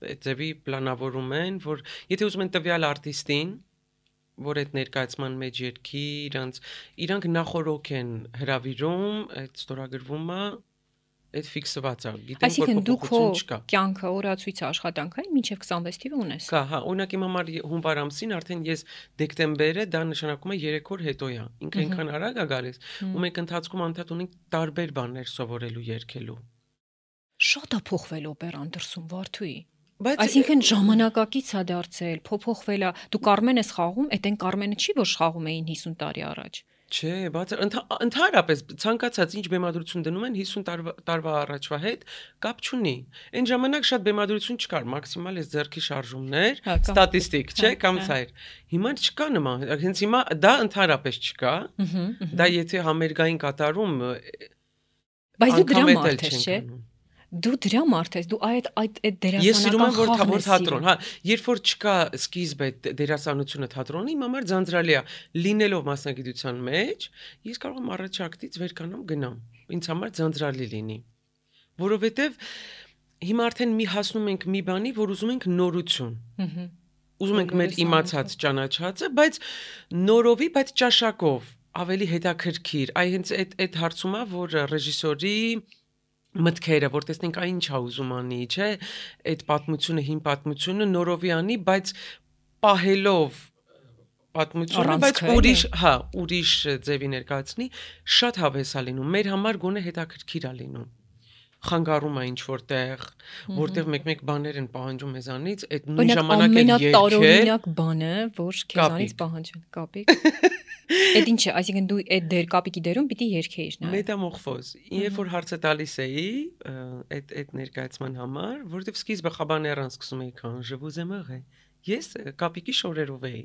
Այդ ձևի պլանավորում են, որ եթե ուզում են տվյալ արտիստին, որ այդ ներկայացման մեջ երկի, իրանց իրանք նախորոք են հրավիրում, այդ ստորագրվում է, այդ ֆիքսված է, գիտեմ որ Այսինքն դու քո փոփոխություն չկա։ կյանքը օրացույց աշխատանքային մինչև քսանվեց թիվը ունես։ Կա, հա, օրինակ իմ համար հունվար ամսին արդեն ես դեկտեմբերը դա նշանակում է երեք օր հետո է։ Ինքը այնքան արագ է գալիս, ու մենք ընթացքում անդադ ունենք տարբեր բաներ սովորելու, երգելու։ Շատ է փոխվել օպերան դրսում Վարդուի։ Բայց Այսինքն ժամանակակից է դարձել, փոփոխվել է։ Դու Կարմեն ես խաղում, այդ այն Կարմենը չի որ խաղում էին հիսուն տարի առաջ։ Չէ, բաց ընդհանրապես ցանկացած ինչ բեմադրություն դնում են հիսուն տարվա տարվա առաջվա հետ կապ չունի։ Այն ժամանակ շատ բեմադրություն չկար, մաքսիմալ էս ձեռքի շարժումներ, Հա, կամ- ստատիստիկ, չէ, հա, կամ հա։ ցայր։ Հիմա չկա նման, հենց հիմա դա ընդհանրապես չկա։ Ահա։ Դա եթե համերգային կատարում Բայց դու դրա անգամ էլ մարդ ես, չենք չէ։ անում։ Դու դրա մարդ ես, դու այդ այդ այդ Ես սիրում եմ որ դերասանական թավոր խաղն թատրոն, հա, երբ որ չկա սկիզբ այդ դերասանությունը թատրոնի, իմ համար ձանձրալի է լինելով մասնագիտության մեջ, ես կարող եմ առաջակտից վեր կանամ գնամ։ Ինձ համար ձանձրալի լինի։ Որովհետև հիմա արդեն մի հասնում ենք մի բանի, որ ուզում ենք նորություն։ Ահա։ Ուզում ենք մեր իմացած ճանաչածը, բայց նորովի, բայց ճաշակով, ավելի հետաքրքիր։ Այ հենց այդ այդ հարցում է, որ ռեժիսորի մտքերը, որ տեսնենք այն ինչ է ուզում անի, չէ, այդ պատմությունը, հին պատմությունը նորովի անի, բայց պահելով պատմությունը, բայց Առանցքը, ուրիշ, հա, ուրիշ ձևի ներկայացնի, շատ հավես է լինում։ Մեր համար գոնե հետաքրքիր է լինում։ Խանգարում է ինչ որտեղ, որտեղ մեկ-մեկ բաներ են պահանջում մեզանից, այդ նույն ժամանակ էլ երկել։ Ամենատարօրինակ բանը, որ քեզանից Կապիկ։ պահանջեն, կապիկ։ Այդ ինչ է, այսինքն դու այդ դեր կապիկի դերում պիտի երգեիր նա։ Մետամորֆոզ։ Երբ որ հարցը տալիս էի, ը, այդ այդ ներկայացման համար, որովհետև սկիզբը խաբաներան սկսում էի քան je vous aimerai։ Ես ը, կապիկի շորերով էի։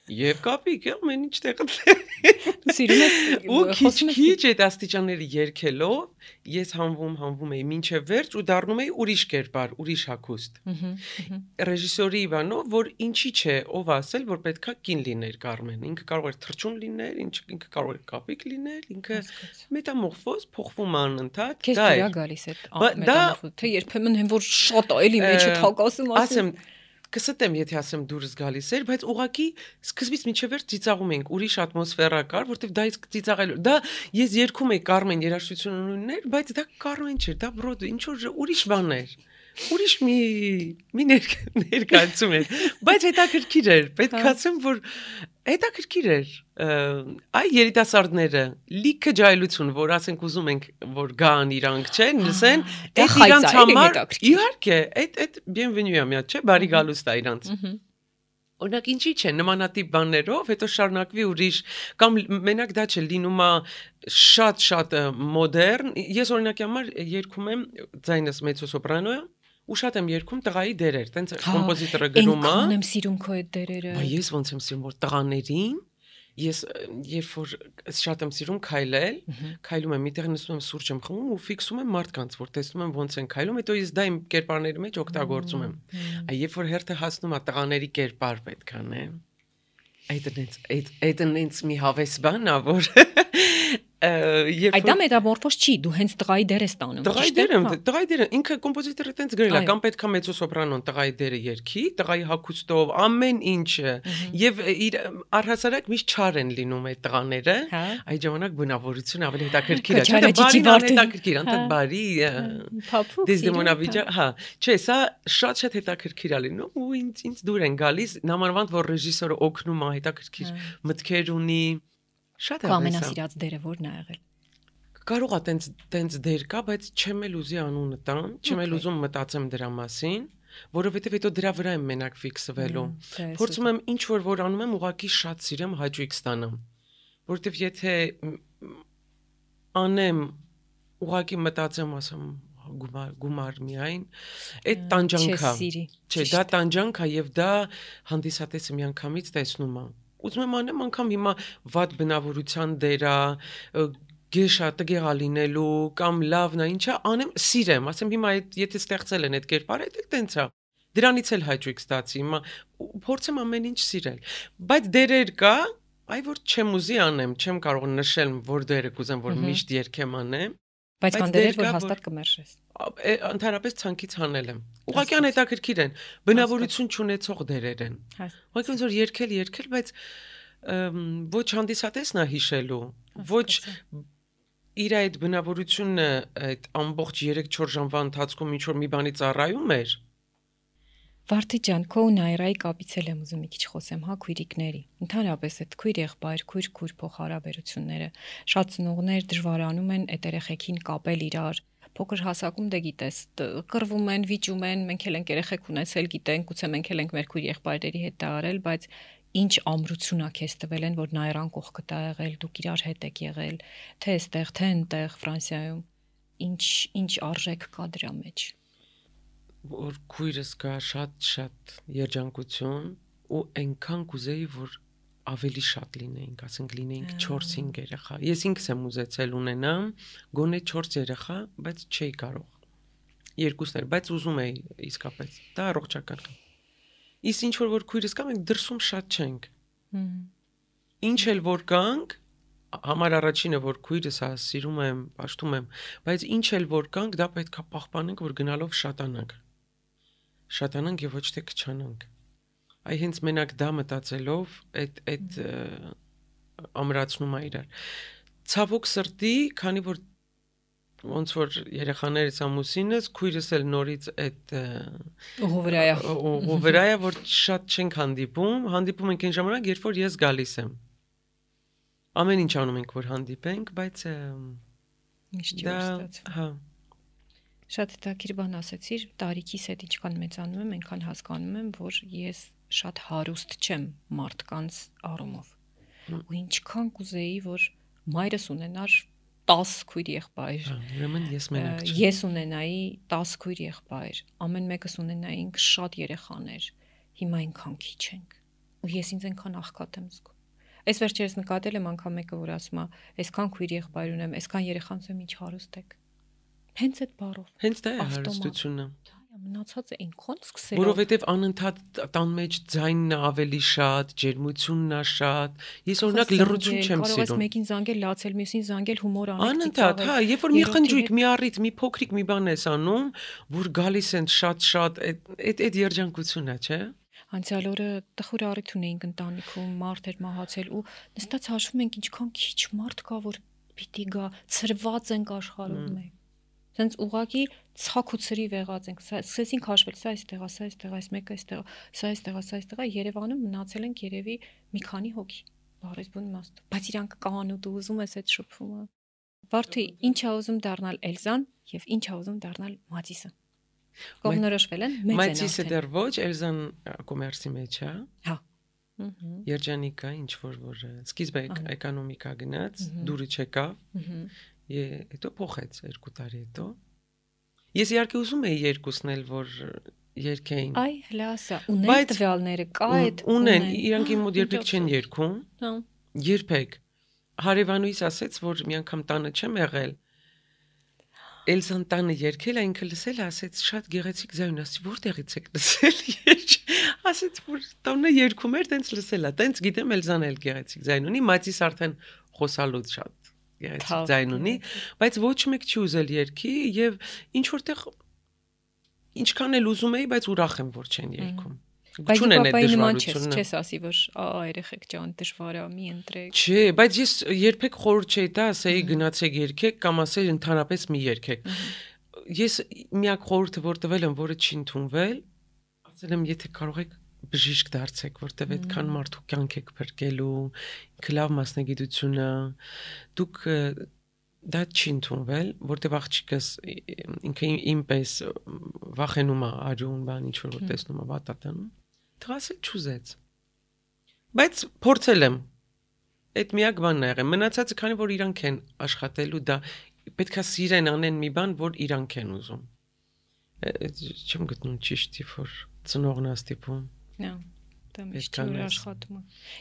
Եվ կապիկ, ամեն ինչ տեղը։ Դու սիրում ես ու քիչ-քիչ այդ աստիճանները երգելով, ես հանվում, հանվում էի մինչև վերջ ու դառնում էի ուրիշ կերպար, ուրիշ հագուստ։ Ռեժիսորի Իվանով, որ ինչի՞ չէ, ով ասել, որ պետքա կին լիներ Կարմեն։ Ինքը կարող էր թրջուն լիներ, ինքը կարող էր կապիկ լիներ, ինքը մետամորֆոզ փոխվում անընդհատ։ Քեզ դրա գալիս է մետամորֆոզ, թե երբեմն հեն որ շատ այլի մեջը թակասում ասեմ։ Կստեմ, եթե ասեմ դուրս գալիս էր, բայց ուղղակի սկզբից մինչև վերջ ծիծաղում էինք, ուրիշ ատմոսֆերա կար, որտեվ դա իսկ ծիծաղելու։ Դա ես երգում էի Կարմեն երաժշտություններ, բայց դա Կարմեն չէր, դա Բրոդվեյ, ինչ որ ուրիշ բան էր։ Ուրիշ մի մի ներկայացում էր, բայց հետաքրքիր էր, պետք է ասեմ, որ հետաքրքիր էր։ Այ երիտասարդները լիքը ջայլություն, որ ասենք ուզում ենք, որ գան իրանք չեն, լսեն, այդ իրանք համար իհարկե, այդ այդ bienvenue-ա միա, չէ, բարի գալուստ է իրանք։ Օրինակ ինչի՞ չէ, նմանատիպ բաներով, հետո շարունակվի ուրիշ կամ մենակ դա չէ, լինում է շատ-շատ մոդեռն։ Ես օրինակի համար երգում եմ ձայնս մեծոսոպրանո է, ու շատ եմ երգում տղայի դերեր, տենց կոմպոզիտորը գրում է։ Այնքան եմ սիրում քո այդ դերերը։ Բայց ես ոնց եմ սիրում, որ տղաներին ես երբ որ շատ եմ սիրում քայլել, քայլում եմ, միտեղ նստում եմ սուրճ եմ խմում ու ֆիքսում եմ մարդկանց, որ տեսնում եմ ոնց են քայլում, հետո ես դա իմ կերպարների մեջ օգտագործում եմ։ Այ երբ որ հերթը հասնում է տղաների կերպար պետք անե։ Այդ այնց այդ այդ այնց մի հավես բան է, որ Այդ դա մետամորֆոզ չի, դու հենց տղայի դեր ես տանում։ Տղայի դերը, տղայի դերը, ինքը կոմպոզիտորը տենց գրել է, կամ պետքա մեծոսոպրանոն տղայի դերը երգի, տղայի հագուստով, ամեն ինչը, եւ առհասարակ միշտ չար են լինում այդ տղաները, այդ ժամանակ բնավորությունը ավելի հետաքրքիր է, չէ՞, բարին հետաքրքիր, անտակ բարի, դեզդեմոնավիճա, հա, չէ, սա շատ-շատ հետաքրքիր է լինում ու ինձ ինձ դուր են գալիս, նամանավանդ որ ռեժիսորը օգնում է, հետաքրքիր մտքեր ունի։ Շատ է։ Ամենասիրած դերը ո՞րն է եղել։ Կարող է տենց տենց դեր կա, բայց չեմ էլ ուզի անունը տան, չեմ էլ ուզում մտածեմ դրա մասին, որովհետև հետո դրա վրա եմ մենակ ֆիքսվելու։ Փորձում եմ ինչ որ որ անում եմ, ուղղակի շատ սիրեմ հաճույք ստանամ։ Որովհետև եթե անեմ, ուղղակի մտածեմ, ասեմ գումար գումար միայն, այդ տանջանքա։ Չէ, դա տանջանքա եւ դա հանդիսատեսը միանգամից տեսնում է։ Ուզում եմ անեմ անգամ հիմա վատ բնավորության դերա, գեշա տգեղա լինելու կամ լավն է, ինչա անեմ, սիրեմ, ասեմ հիմա այդ եթե ստեղծել են այդ կերպարը, դա տենց է։ Դրանից էլ հաճույք ստացի, հիմա փորձեմ ամեն ինչ սիրել։ Բայց դերեր կա, այ որ չեմ ուզի անեմ, չեմ կարող նշել, որ դերը կուզեմ, որ միշտ երգեմ անեմ։ Բայց կան դերեր, որ հաստատ կմերժես։ Ընդհանրապես ցանկից հանել եմ։ Ուղղակի անհետաքրքիր են, բնավորություն չունեցող դերեր են։ Ուղղակի ոնց որ երգել, երգել, բայց ոչ հանդիսատեսն է հիշելու, ոչ իր այդ բնավորությունը այդ ամբողջ երեք-չորս ժամվա ընթացքում ինչ որ մի բանի ծառայում էր։ Վարդի ջան, քո ու Նայրայի կապից էլ եմ ուզում մի քիչ խոսեմ, հա, քույրիկների։ Ընդհանրապես այդ քույր-եղբայր, քույր-քույր փոխհարաբերությունները շատ ծնողներ դժվարանում են այդ երեխեքին կապել իրար։ Փոքր հասակում դե գիտես, կռվում են, վիճում են, մենք էլ ենք երեխեք ունեցել, գիտենք, գուցե մենք էլ ենք մեր քույր-եղբայրերի հետ դա արել, բայց ինչ ամրություն է քեզ տվել են, որ Նայրան կողքը տա եղել, դուք իրար հետ եք եղել, թե այստեղ, թե այնտեղ Ֆրանսիայում։ Ինչ ինչ արժեք կա դրա մեջ։ Որ քույրս կա շատ-շատ երջանկություն ու այնքան կուզեի, որ ավելի շատ լինեինք, ասենք լինեինք չորս-հինգ երեխա։ Ես ինքս եմ ուզեցել ունենամ գոնե չորս երեխա, բայց չէի կարող։ Երկուսն էր, բայց ուզում էի իսկապես։ Դա առողջական է։ Իսկ ինչ որ որ քույրս կա, մենք դրսում շատ չենք։ Ինչ էլ որ կանք, համար առաջինը որ քույրս է, սիրում եմ, պաշտում եմ, բայց ինչ էլ որ կանք, դա պետք է պահպանենք, որ գնալով շատանանք։ Շատանանք եւ ոչ թե քչանանք։ Այ հենց մենակ դա մտածելով այդ այդ ամրացնում է իրար։ Ցավոք սրտի, քանի որ ոնց որ երեխաներից ամուսինս, քույրս էլ նորից այդ ուղովրայա ուղովրայա, որ շատ չենք հանդիպում, հանդիպում ենք այն ժամանակ, երբ որ ես գալիս եմ։ Ամեն ինչ անում ենք, որ հանդիպենք, բայց միշտ չի ստացվում։ Հա։ Շատ հետաքրքիր բան ասեցիր, տարիքիս հետ ինչքան մեծանում եմ, այնքան հասկանում եմ, որ ես շատ հարուստ չեմ մարդկանց առումով։ Ու ինչքան կուզեի, որ մայրս ունենար տաս քույր եղբայր։ Ուրեմն ես մենակ չեմ։ Ես ունենայի տաս քույր եղբայր, ամեն մեկս ունենայինք շատ երեխաներ։ Հիմա այնքան քիչ ենք։ ու ես ինձ այնքան աղքատ եմ զգում։ Այս վերջերս նկատել եմ անգամ մեկը, որ ասում է, այսքան քույր եղբայր ունեմ, այսքան երեխան ունեմ, ինչ հարուստ եք։ Հենց այդ բառով։ Հենց դա է հարստությունը։ Մնացածը այնքան սկսել։ Որովհետև անընդհատ տան մեջ ձայնն է ավելի շատ, ջերմությունն է շատ։ Ես օրինակ լռություն չեմ Կարող ես սիրում։ մեկին զանգել, լացել, մյուսին զանգել, հումոր անել, Անընդհատ, հա, երբ որ մի խնջույք, մի առիթ, մի փոքրիկ մի բան ես անում, որ գալիս են շատ-շատ, այդ այդ երջանկությունն է, չէ՞։ Անցյալ օրը տխուր առիթ ունեինք ընտանիքում, մարդ էր մահացել ու նստած հաշվում ենք ինչքան քիչ մարդ կա, որ պիտի գա, ծրված ենք աշխարհում մենք։ Սենց ուղակի ցակ ու ծրի վեղած ենք։ Սկսեցինք հաշվել, սա այստեղ է, սա այստեղ է, այս մեկը այստեղ է, սա այստեղ է, սա այստեղ է, Երևանում մնացել ենք երևի մի քանի հոգի։ Բարես բուն իմաստով։ Բայց իրանք կան ու դու ուզում ես այդ շփումը։ Վարդի, ինչ է ուզում դառնալ Էլզան եւ ինչ է ուզում դառնալ Մատիսը։ Կողմնորոշվել են, մեծ են։ Մատիսը դեռ ոչ, Էլզան կոմերսի մեջ է։ Հա։ Երջանիկա, ինչ որ որ սկիզբը էկոնոմիկա գնաց, դուրը չեկավ։ Է, հետո փոխեց երկու տարի հետո։ Ես իհարկե ուզում էի երկուսն էլ որ երգեին։ Այ հլասա, ունեն տվյալները, կա այդ ունեն, իրանք իմ մոտ երբեք չեն երգում։ Հա։ Երբեք։ Հարևանուհիս ասեց, որ մի անգամ տանը չեմ եղել։ Էլզան տանը երգել, այնքը լսել, ասեց շատ գեղեցիկ ձայն, ասի որտեղից եք լսել երգ։ Ասեց որ տանը երգում էր, տենց լսել է, տենց գիտեմ Էլզան էլ գեղեցիկ ձայն ունի, Մատիս արդեն խոսալուց շատ գեղեցիկ ձայն ունի, բայց ոչ մեկ չի ուզել երգի եւ ինչ որտեղ ինչքան էլ ուզում էի, բայց ուրախ եմ որ չեն երգում։ Չունեն այդ դժվարությունը։ Չես ասի որ ա երեխեք ջան դժվար է, մի ընտրեք։ Չէ, բայց ես երբեք խորհուրդ չէի տա, ասեի գնացեք երգեք կամ ասեի ընդհանրապես մի երգեք։ Ես միակ խորհուրդը որ տվել եմ, որը չի ընդունվել, ասել եմ եթե կարող եք բժիշկ դարձեք, որտեվ այդքան մարդու կյանք եք փրկելու, ինքը լավ մասնագիտություն է, դուք դա չի ընդունվել, որտեվ աղջիկս ինքը ինպես վախենում է արյուն, բան ինչ որ տեսնում է վատատանում, թղասել չուզեց։ Բայց փորձել եմ։ Այդ միակ բանն է եղել։ Մնացածը քանի որ իրանք են աշխատելու, դա պետքա սիրեն անեն մի բան, որ իրանք են ուզում։ Չեմ գտնում ճիշտ որ ծնողն է ստիպում։ Նա դա միշտ չի աշխատում։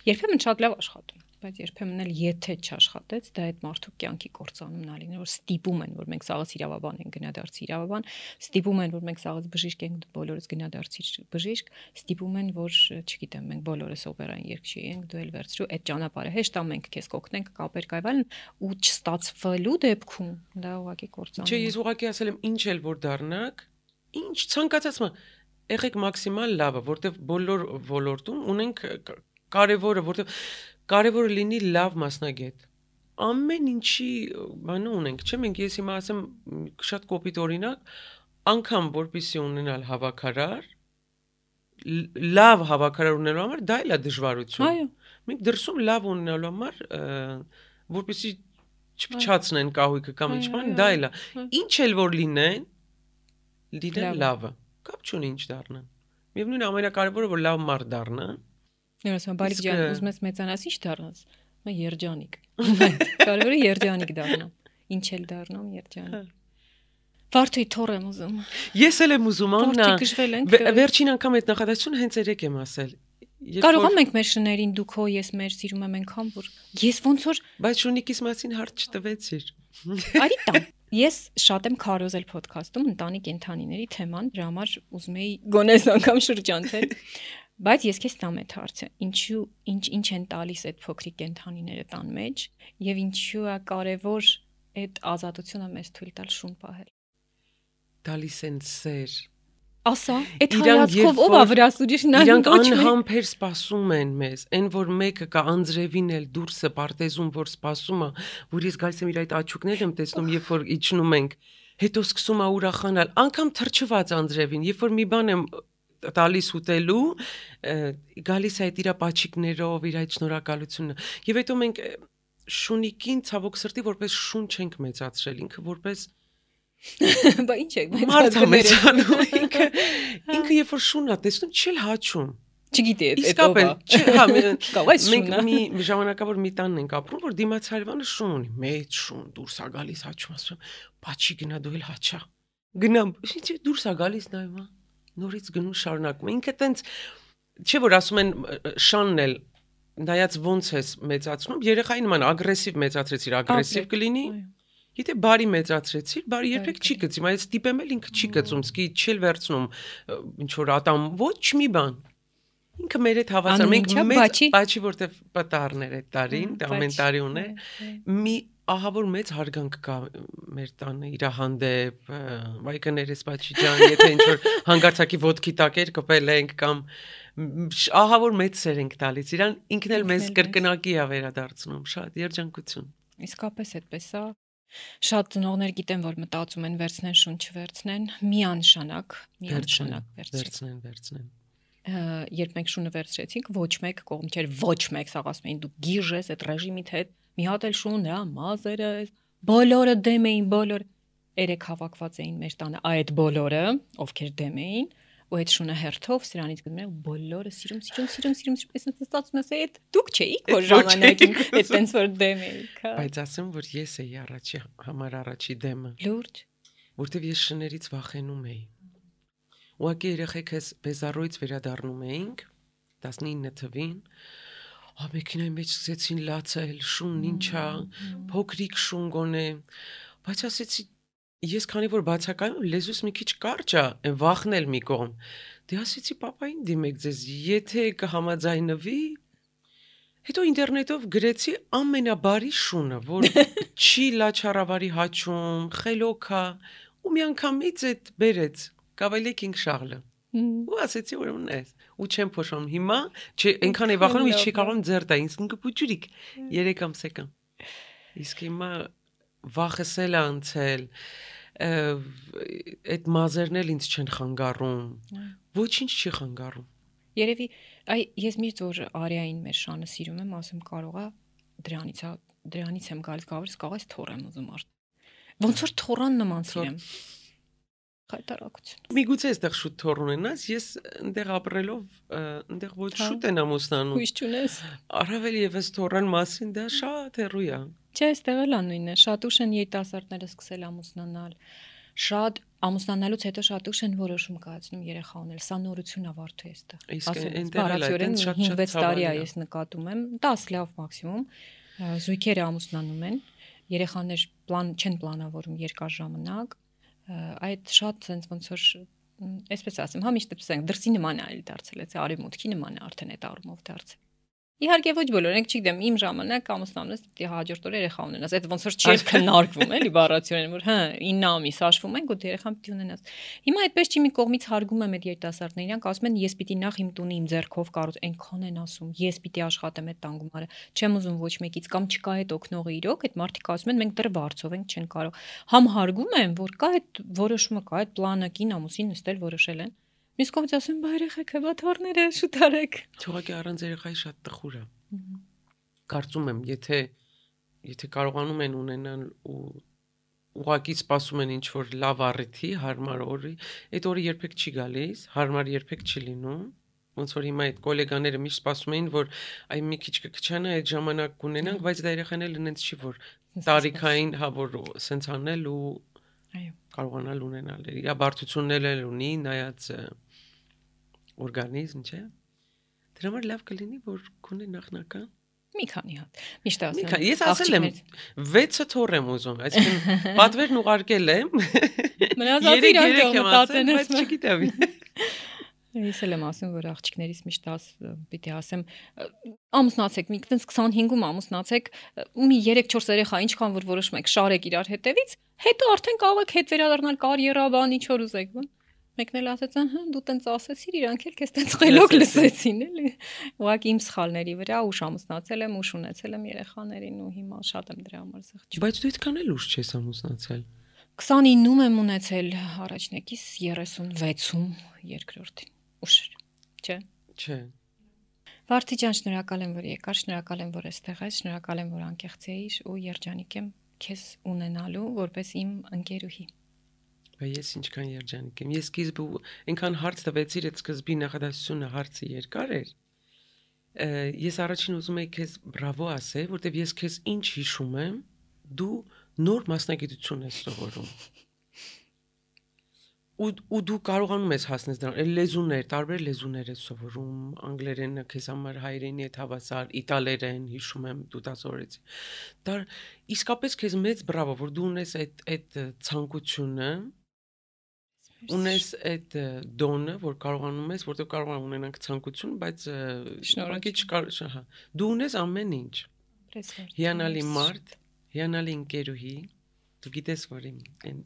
Երբեմն շատ լավ աշխատում, բայց երբեմն էլ եթե չաշխատեց, դա այդ մարդու կյանքի կործանումն է լինել, որ ստիպում են, որ մենք սաղից իրավաբան ենք գնադարձի իրավաբան, ստիպում են, որ մենք սաղից բժիշկ ենք, բոլորս գնադարձի բժիշկ, ստիպում են, որ, չգիտեմ, մենք բոլորս օպերային երգչի ենք, դու էլ վերցրու այդ ճանապարհը հեշտ է մենք քեզ կօգնենք կապեր կայվալն ու չստացվելու դեպքում դա ուղղակի կործանում։ Չէ, ես ուղղակի ասել եմ ինչ էլ որ դառնաք, ինչ ցանկացած մ եղեք մաքսիմալ լավը, որտեվ բոլոր ոլորտում ունենք կարևորը, որտեվ կարևորը լինի լավ մասնագետ։ Ամեն ինչի բանը ունենք, չէ՞ մենք ես հիմա ասեմ շատ կոպիտ օրինակ, անգամ որպեսզի ունենալ հավաքարար, լավ հավաքարար ունենալու համար դա էլ է դժվարություն։ Այո։ Մենք դրսում լավ ունենալու համար որպեսզի չփչացնեն կահույքը կամ ինչ բան, դա էլ է։ Ինչ էլ որ լինեն, լինեն լավը։ Կապ չունի ինչ դառնան։ Միևնույն է ամենակարևորը որ լավ մարդ դառնան։ Ես ասում բարիկ ջան, ուզում ես մեծանաս ինչ դառնաս։ Մա երջանիկ։ Կարևորը երջանիկ դառնամ։ Ինչ էլ դառնամ երջանիկ։ Վարդի թոր եմ ուզում։ Ես էլ եմ ուզում, Աննա։ Վարդի գժվել ենք։ Վերջին անգամ այդ նախադասությունը հենց երեք եմ ասել։ Կարող եմ մենք մեր շներին դուք հո ես մեր սիրում եմ այնքան որ ես ոնց որ բայց շունիկիս մասին հարց չտվեցիր։ Արի տամ։ Ես շատ եմ քարոզել ոդքասթում ընտանի կենդանիների թեման, դրա համար ուզում էի գոնես անգամ շրջանցել, բայց ես քեզ տամ այդ հարցը, ինչու ինչ ինչ են տալիս այդ փոքրիկ կենդանիները տան մեջ եւ ինչու է կարեւոր այդ ազատությունը մեզ թույլ տալ շուն պահել։ Տալիս են սեր։ Ասա, այդ հայացքով ով է վրաս ուրիշ նայում։ Իրանք անհամբեր սպասում են մեզ, այն որ մեկը կա անձրևին էլ դուրսը պարտեզում որ սպասում է, որ ես գալիս եմ իր այդ աչուկներն եմ տեսնում, երբ որ իջնում ենք, հետո սկսում է ուրախանալ, անգամ թրջված անձրևին, երբ որ մի բան եմ տալիս ուտելու, գալիս է այդ իր պաչիկներով, իր այդ շնորհակալությունը։ Եվ հետո մենք շունիկին ցավոք սրտի որպես շուն չենք մեծացրել, ինքը որպես Բա ինչ է, բայց մեծանում ինքը ինքը երբ որ շունն է տեսնում, չի հաչում։ Չգիտի այդ ով է։ Չէ, հա, մենք մի ժամանակավոր մի տանն ենք ապրում, որ դիմաց հարևանը շուն ունի, մեծ շուն, դուրս է գալիս հաչում, ասում, «Պաչի գնա դու էլ հաչա»։ Գնամ, ինչ դուրս է գալիս նայում, նորից գնում շարունակում։ Ինքը տենց չէ որ ասում են շանն էլ նայած ոնց ես մեծացնում, երեխային նման ագրեսիվ մեծացրեցիր, ագրեսիվ կլինի։ Եթե բարի մեծացրեցիր, բարի երբեք չի գծի, բայց տիպեմ էլ ինքը չի գծում, սկի չել վերցնում ինչ որ ատամ ոչ մի բան։ Ինքը մեր հետ հավասար, մենք մեծ բաչի որտեվ պատառներ է տարին, ամեն տարի ունե, մի ահավոր մեծ հարգանք կա մեր տանը իր հանդեպ, վայ կներես բաչի ջան, եթե ինչ որ հանգարցակի ոտքի տակ էր կպել ենք կամ ահավոր մեծ սեր ենք տալիս, իրան ինքն էլ մեզ կրկնակի է վերադարձնում, շատ երջանկություն։ Իսկապես այդպես է։ Շատ ծնողներ գիտեն, որ մտածում են վերցնեն շունչ վերցնեն, միանշանակ, միանշանակ վերցնեն, վերցնեն։ Երբ մենք շունը վերցրեցինք, ոչ մեկ կողմ չէր, ոչ մեկ սաղ ասում էին դու գիժ ես այդ ռեժիմիդ հետ, մի հատ էլ շուն, հա, մազերը, բոլորը դեմ էին, բոլոր երեք հավաքված էին մեր տանը, այդ բոլորը, ովքեր դեմ էին, ու այդ շունը հերթով սրանից գնում են բոլորը սիրում, սիրում, սիրում, սիրում, սիրում, ստացվում է, այդ դուք չէիք որ ժամանակին այդ տենց որ դեմ էիք, հա։ Բայց ասեմ, որ ես էի առաջի համար առաջի դեմը։ Լուրջ, որտեվ ես շներից վախենում էի։ Ուղղակի երեխեք ես բեզարոյից վերադառնում էինք տասնինը թվին, ա մեքենայի մեջ սկսեցին լացել, շունն ինչա, փոքրիկ շուն գոնե, բայց ասեցի ես քանի որ բացակայում լեզուս մի քիչ կարճ է, այն վախնել մի կողմ։ Դե ասեցի պապային դիմեք ձեզ, եթե կհամաձայնվի, հետո ինտերնետով գրեցի ամենաբարի շունը, որ չի լաչառավարի հաչում, խելոք է, ու մի անգամից այդ բերեց Կավալի Քինգ Շարլը։ Ու ասեցի ուրեմն էս, ու չեմ փոշում հիմա, չէ, այնքան է վախենում, ես չի կարողam ձեռ տա, ինձ ինքը փուջուրիկ երեք ամսեկան։ Իսկ հիմա վախսել անցել, այդ մազերն էլ ինձ չեն խանգարում, ոչինչ չի խանգարում։ Երևի, այ ես միշտ որ Արիային մեր շանը սիրում եմ, ասում կարողա դրանից է, դրանից եմ գալիս, գալիս կարող է թոռ եմ ուզում արդ։ Ոնց որ թոռան նման սիրեմ։ Խայտարակություն։ Միգուցե այստեղ շուտ թոռ ունենաս, ես այնտեղ ապրելով, այնտեղ ոչ շուտ են ամուսնանում։ Հույս չունես։ Առավել եւս թոռան մասին դա շատ հեռու է։ Չէ, այստեղ էլ անույնն է, շատ ուշ են երիտասարդները սկսել ամուսնանալ։ Շատ ամուսնանալուց հետո շատ ուշ են որոշում կայացնում երեխա ունել, սա նորություն է վարդու այստեղ։ Ասում հինգ-վեց տարի է ես նկատում եմ, դաս լավ մաքսիմում, զույգերը ամուսնանում են, երեխաներ պլան չեն պլանավորում երկար ժամանակ, այդ շատ sense ոնց որ այսպես ասեմ, հա միշտ ասենք դրսի նման է դարձել, այդ արևմուտքի նման է արդեն այդ առումով դարձել։ Իհարկե ոչ բոլորը, չգիտեմ, իմ ժամանակ ամուսնանալուց պիտի հաջորդ օրը երեխա ունենաս, այդ ոնց որ չէր քննարկվում, էլի բառացիորեն, որ հա ինը ամիս հաշվում ենք ու երեխան պիտի ունենաս։ Հիմա այդպես չի մի կողմից հարգում եմ այդ երիտասարդներին, իրանք ասում են ես պիտի նախ իմ տունը իմ ձեռքով կառուցեմ, այնքան են ասում, ես պիտի աշխատեմ այդ տան գումարը, չեմ ուզում ոչ մեկից կամ չկա այդ օգնողը իրոք, այդ մարդիկ ասում են մենք դեռ վարձով ենք, չեն կարող։ Համ հարգում եմ, որ կա այդ որոշումը, կա այդ պլանը, կին ամուսին նստել որոշել են։ Մյուս կողմից ասում բա երեխեք հա թորները շուտ արեք։ Թողակի առանց երեխայի շատ տխուր է։ Կարծում եմ, եթե եթե կարողանում են ունենալ ու ուղղակի սպասում են ինչ որ լավ առիթի, հարմար օրի, այդ օրը երբեք չի գալիս, հարմար երբեք չի լինում։ Ոնց որ հիմա այդ գոլեգաները միշտ սպասում էին, որ այ մի քիչ կքչանա այդ ժամանակ կունենանք, բայց դա երեխան էլ ինձ չի որ տարիքային հա որ սենց անել ու այո կարողանալ ունենալ։ Իր բարդություններ էլ ունի, նայած օրգանիզմ, չէ՞։ Դրա համար լավ կլինի, որ քունի նախնական մի քանի հատ։ Միշտ ասեմ։ Ես ասել եմ վեցը թոռ եմ ուզում, այսինքն պատվերն ուղարկել եմ։ Մնաց իրոք մտածեն, բայց չգիտեմ։ Ես էլ եմ ասում, որ աղջիկներից միշտ աս պիտի ասեմ ամուսնացեք, մի տենց քսանհինգում ամուսնացեք, մի երեք-չորս երեխա ինչքան որ որոշում եք շարեք իրար հետևից, հետո արդեն կարող եք հետ վերադառնալ կարիերա, բան ինչ որ ուզեք, բան։ Մեկն էլ ասեց, ահա դու տենց ասեցիր, իրանք էլ քեզ տենց խելոք լսեցին, էլի։ Ուղղակի իմ սխալների վրա ուշ ամուսնացել եմ, ուշ ունեցել եմ երեխաներին ու հիմա շատ եմ դրա համար զղջում։ Բայց դու այդքան էլ ուշ չես ամուսնացել։ քսանինում եմ ունեցել առաջնակից երեսունվեցում երկրորդին։ Ուշ, չէ։ Չէ։ Վարդի ջան, շնորհակալ եմ, որ եկար, շնորհակալ եմ, որ այստեղ ես, շնորհակալ եմ, որ անկեղծ էիր ու երջանիկ եմ քեզ ունենալու որպես իմ ընկերուհի։ Բայց ես ինչքան երջանիկ եմ։ Ես սկիզբը այնքան հարց տվեցիր, այդ սկզբի նախադասությունը հարցը երկար էր։ Ես առաջին ուզում եի քեզ բրավո ասել, որտեվ ես քեզ ինչ հիշում եմ, դու նոր մասնագիտություն ես սովորում։ ու ու դու կարողանում ես հասնել դրան, այլ լեզուներ, տարբեր լեզուներ ես սովորում, անգլերենը քեզ համար հայրենի է հավասար, իտալերեն, հիշում եմ դու դա սովորեցի։ Դա իսկապես քեզ մեծ բրավո, որ դու ունես այդ այդ ցանկությունը, ունես այդ դոնը, որ կարողանում ես, որտեղ կարողանում ունենանք ցանկություն, բայց շնորհակի չկար, հա, դու ունես ամեն ինչ։ Հիանալի մարդ, հիանալի ընկերուհի, դու գիտես, որ իմ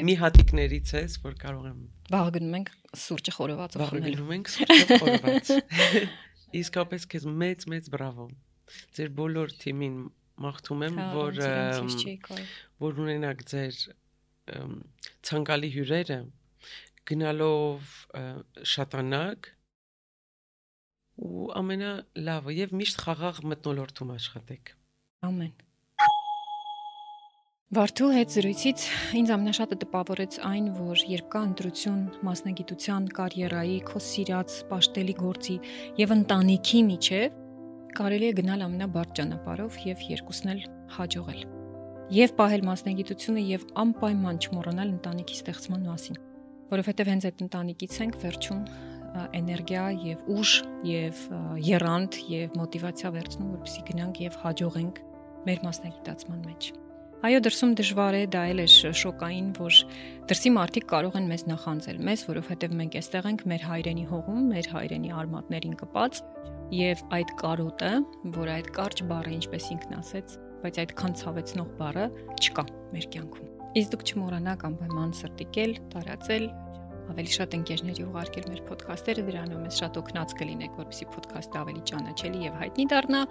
մի հատիկներից ես, որ կարող եմ։ Վաղ գնում ենք սուրճը խորովածով խմել։ Վաղ գնում ենք սուրճը խորոված։ Իսկապես քեզ մեծ-մեծ բրավո։ Ձեր բոլոր թիմին մաղթում եմ, որ որ ունենաք ձեր ցանկալի հյուրերը, գնալով շատանակ ու ամենալավը եւ միշտ խաղաղ մթնոլորտում աշխատեք։ Ամեն։ Վարդու հետ զրույցից ինձ ամենաշատը տպավորեց այն, որ երբ կա ընտրություն մասնագիտության, կարիերայի, քո սիրած, պաշտելի գործի եւ ընտանիքի միջև, կարելի է գնալ ամենաբարդ ճանապարհով եւ երկուսն էլ հաջողել։ Եվ պահել մասնագիտությունը եւ անպայման չմոռանալ ընտանիքի ստեղծման մասին, որովհետեւ հենց այդ ընտանիքից ենք վերջում էներգիա եւ ուժ եւ եռանդ եւ մոտիվացիա վերցնում, որպեսզի գնանք եւ հաջողենք մեր մասնագիտացման մեջ։ Այո, դրսում դժվար է, դա էլ է շոկային, որ դրսի մարդիկ կարող են մեզ նախանձել, մեզ, որովհետև մենք այստեղ ենք մեր հայրենի հողում, մեր հայրենի արմատներին կպած, եւ այդ կարոտը, որ այդ կարճ բառը, ինչպես ինքն ասեց, բայց այդքան ցավեցնող բառը չկա մեր կյանքում։ Իսկ դուք չմոռանաք անպայման սրտիկել, տարածել, ավելի շատ ընկերների ուղարկել մեր ոդքասթերը, դրանով մեզ շատ օգնած կլինեք, որպեսզի ոդքասթը ավելի ճանաչելի եւ հայտնի դառնա,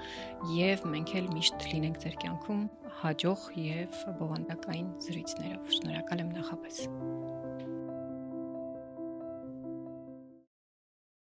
եւ մենք էլ միշտ լինենք ձեր կյանքում հաջող եւ բովանդակային զրույցներով։ Շնորհակալ եմ նախապես։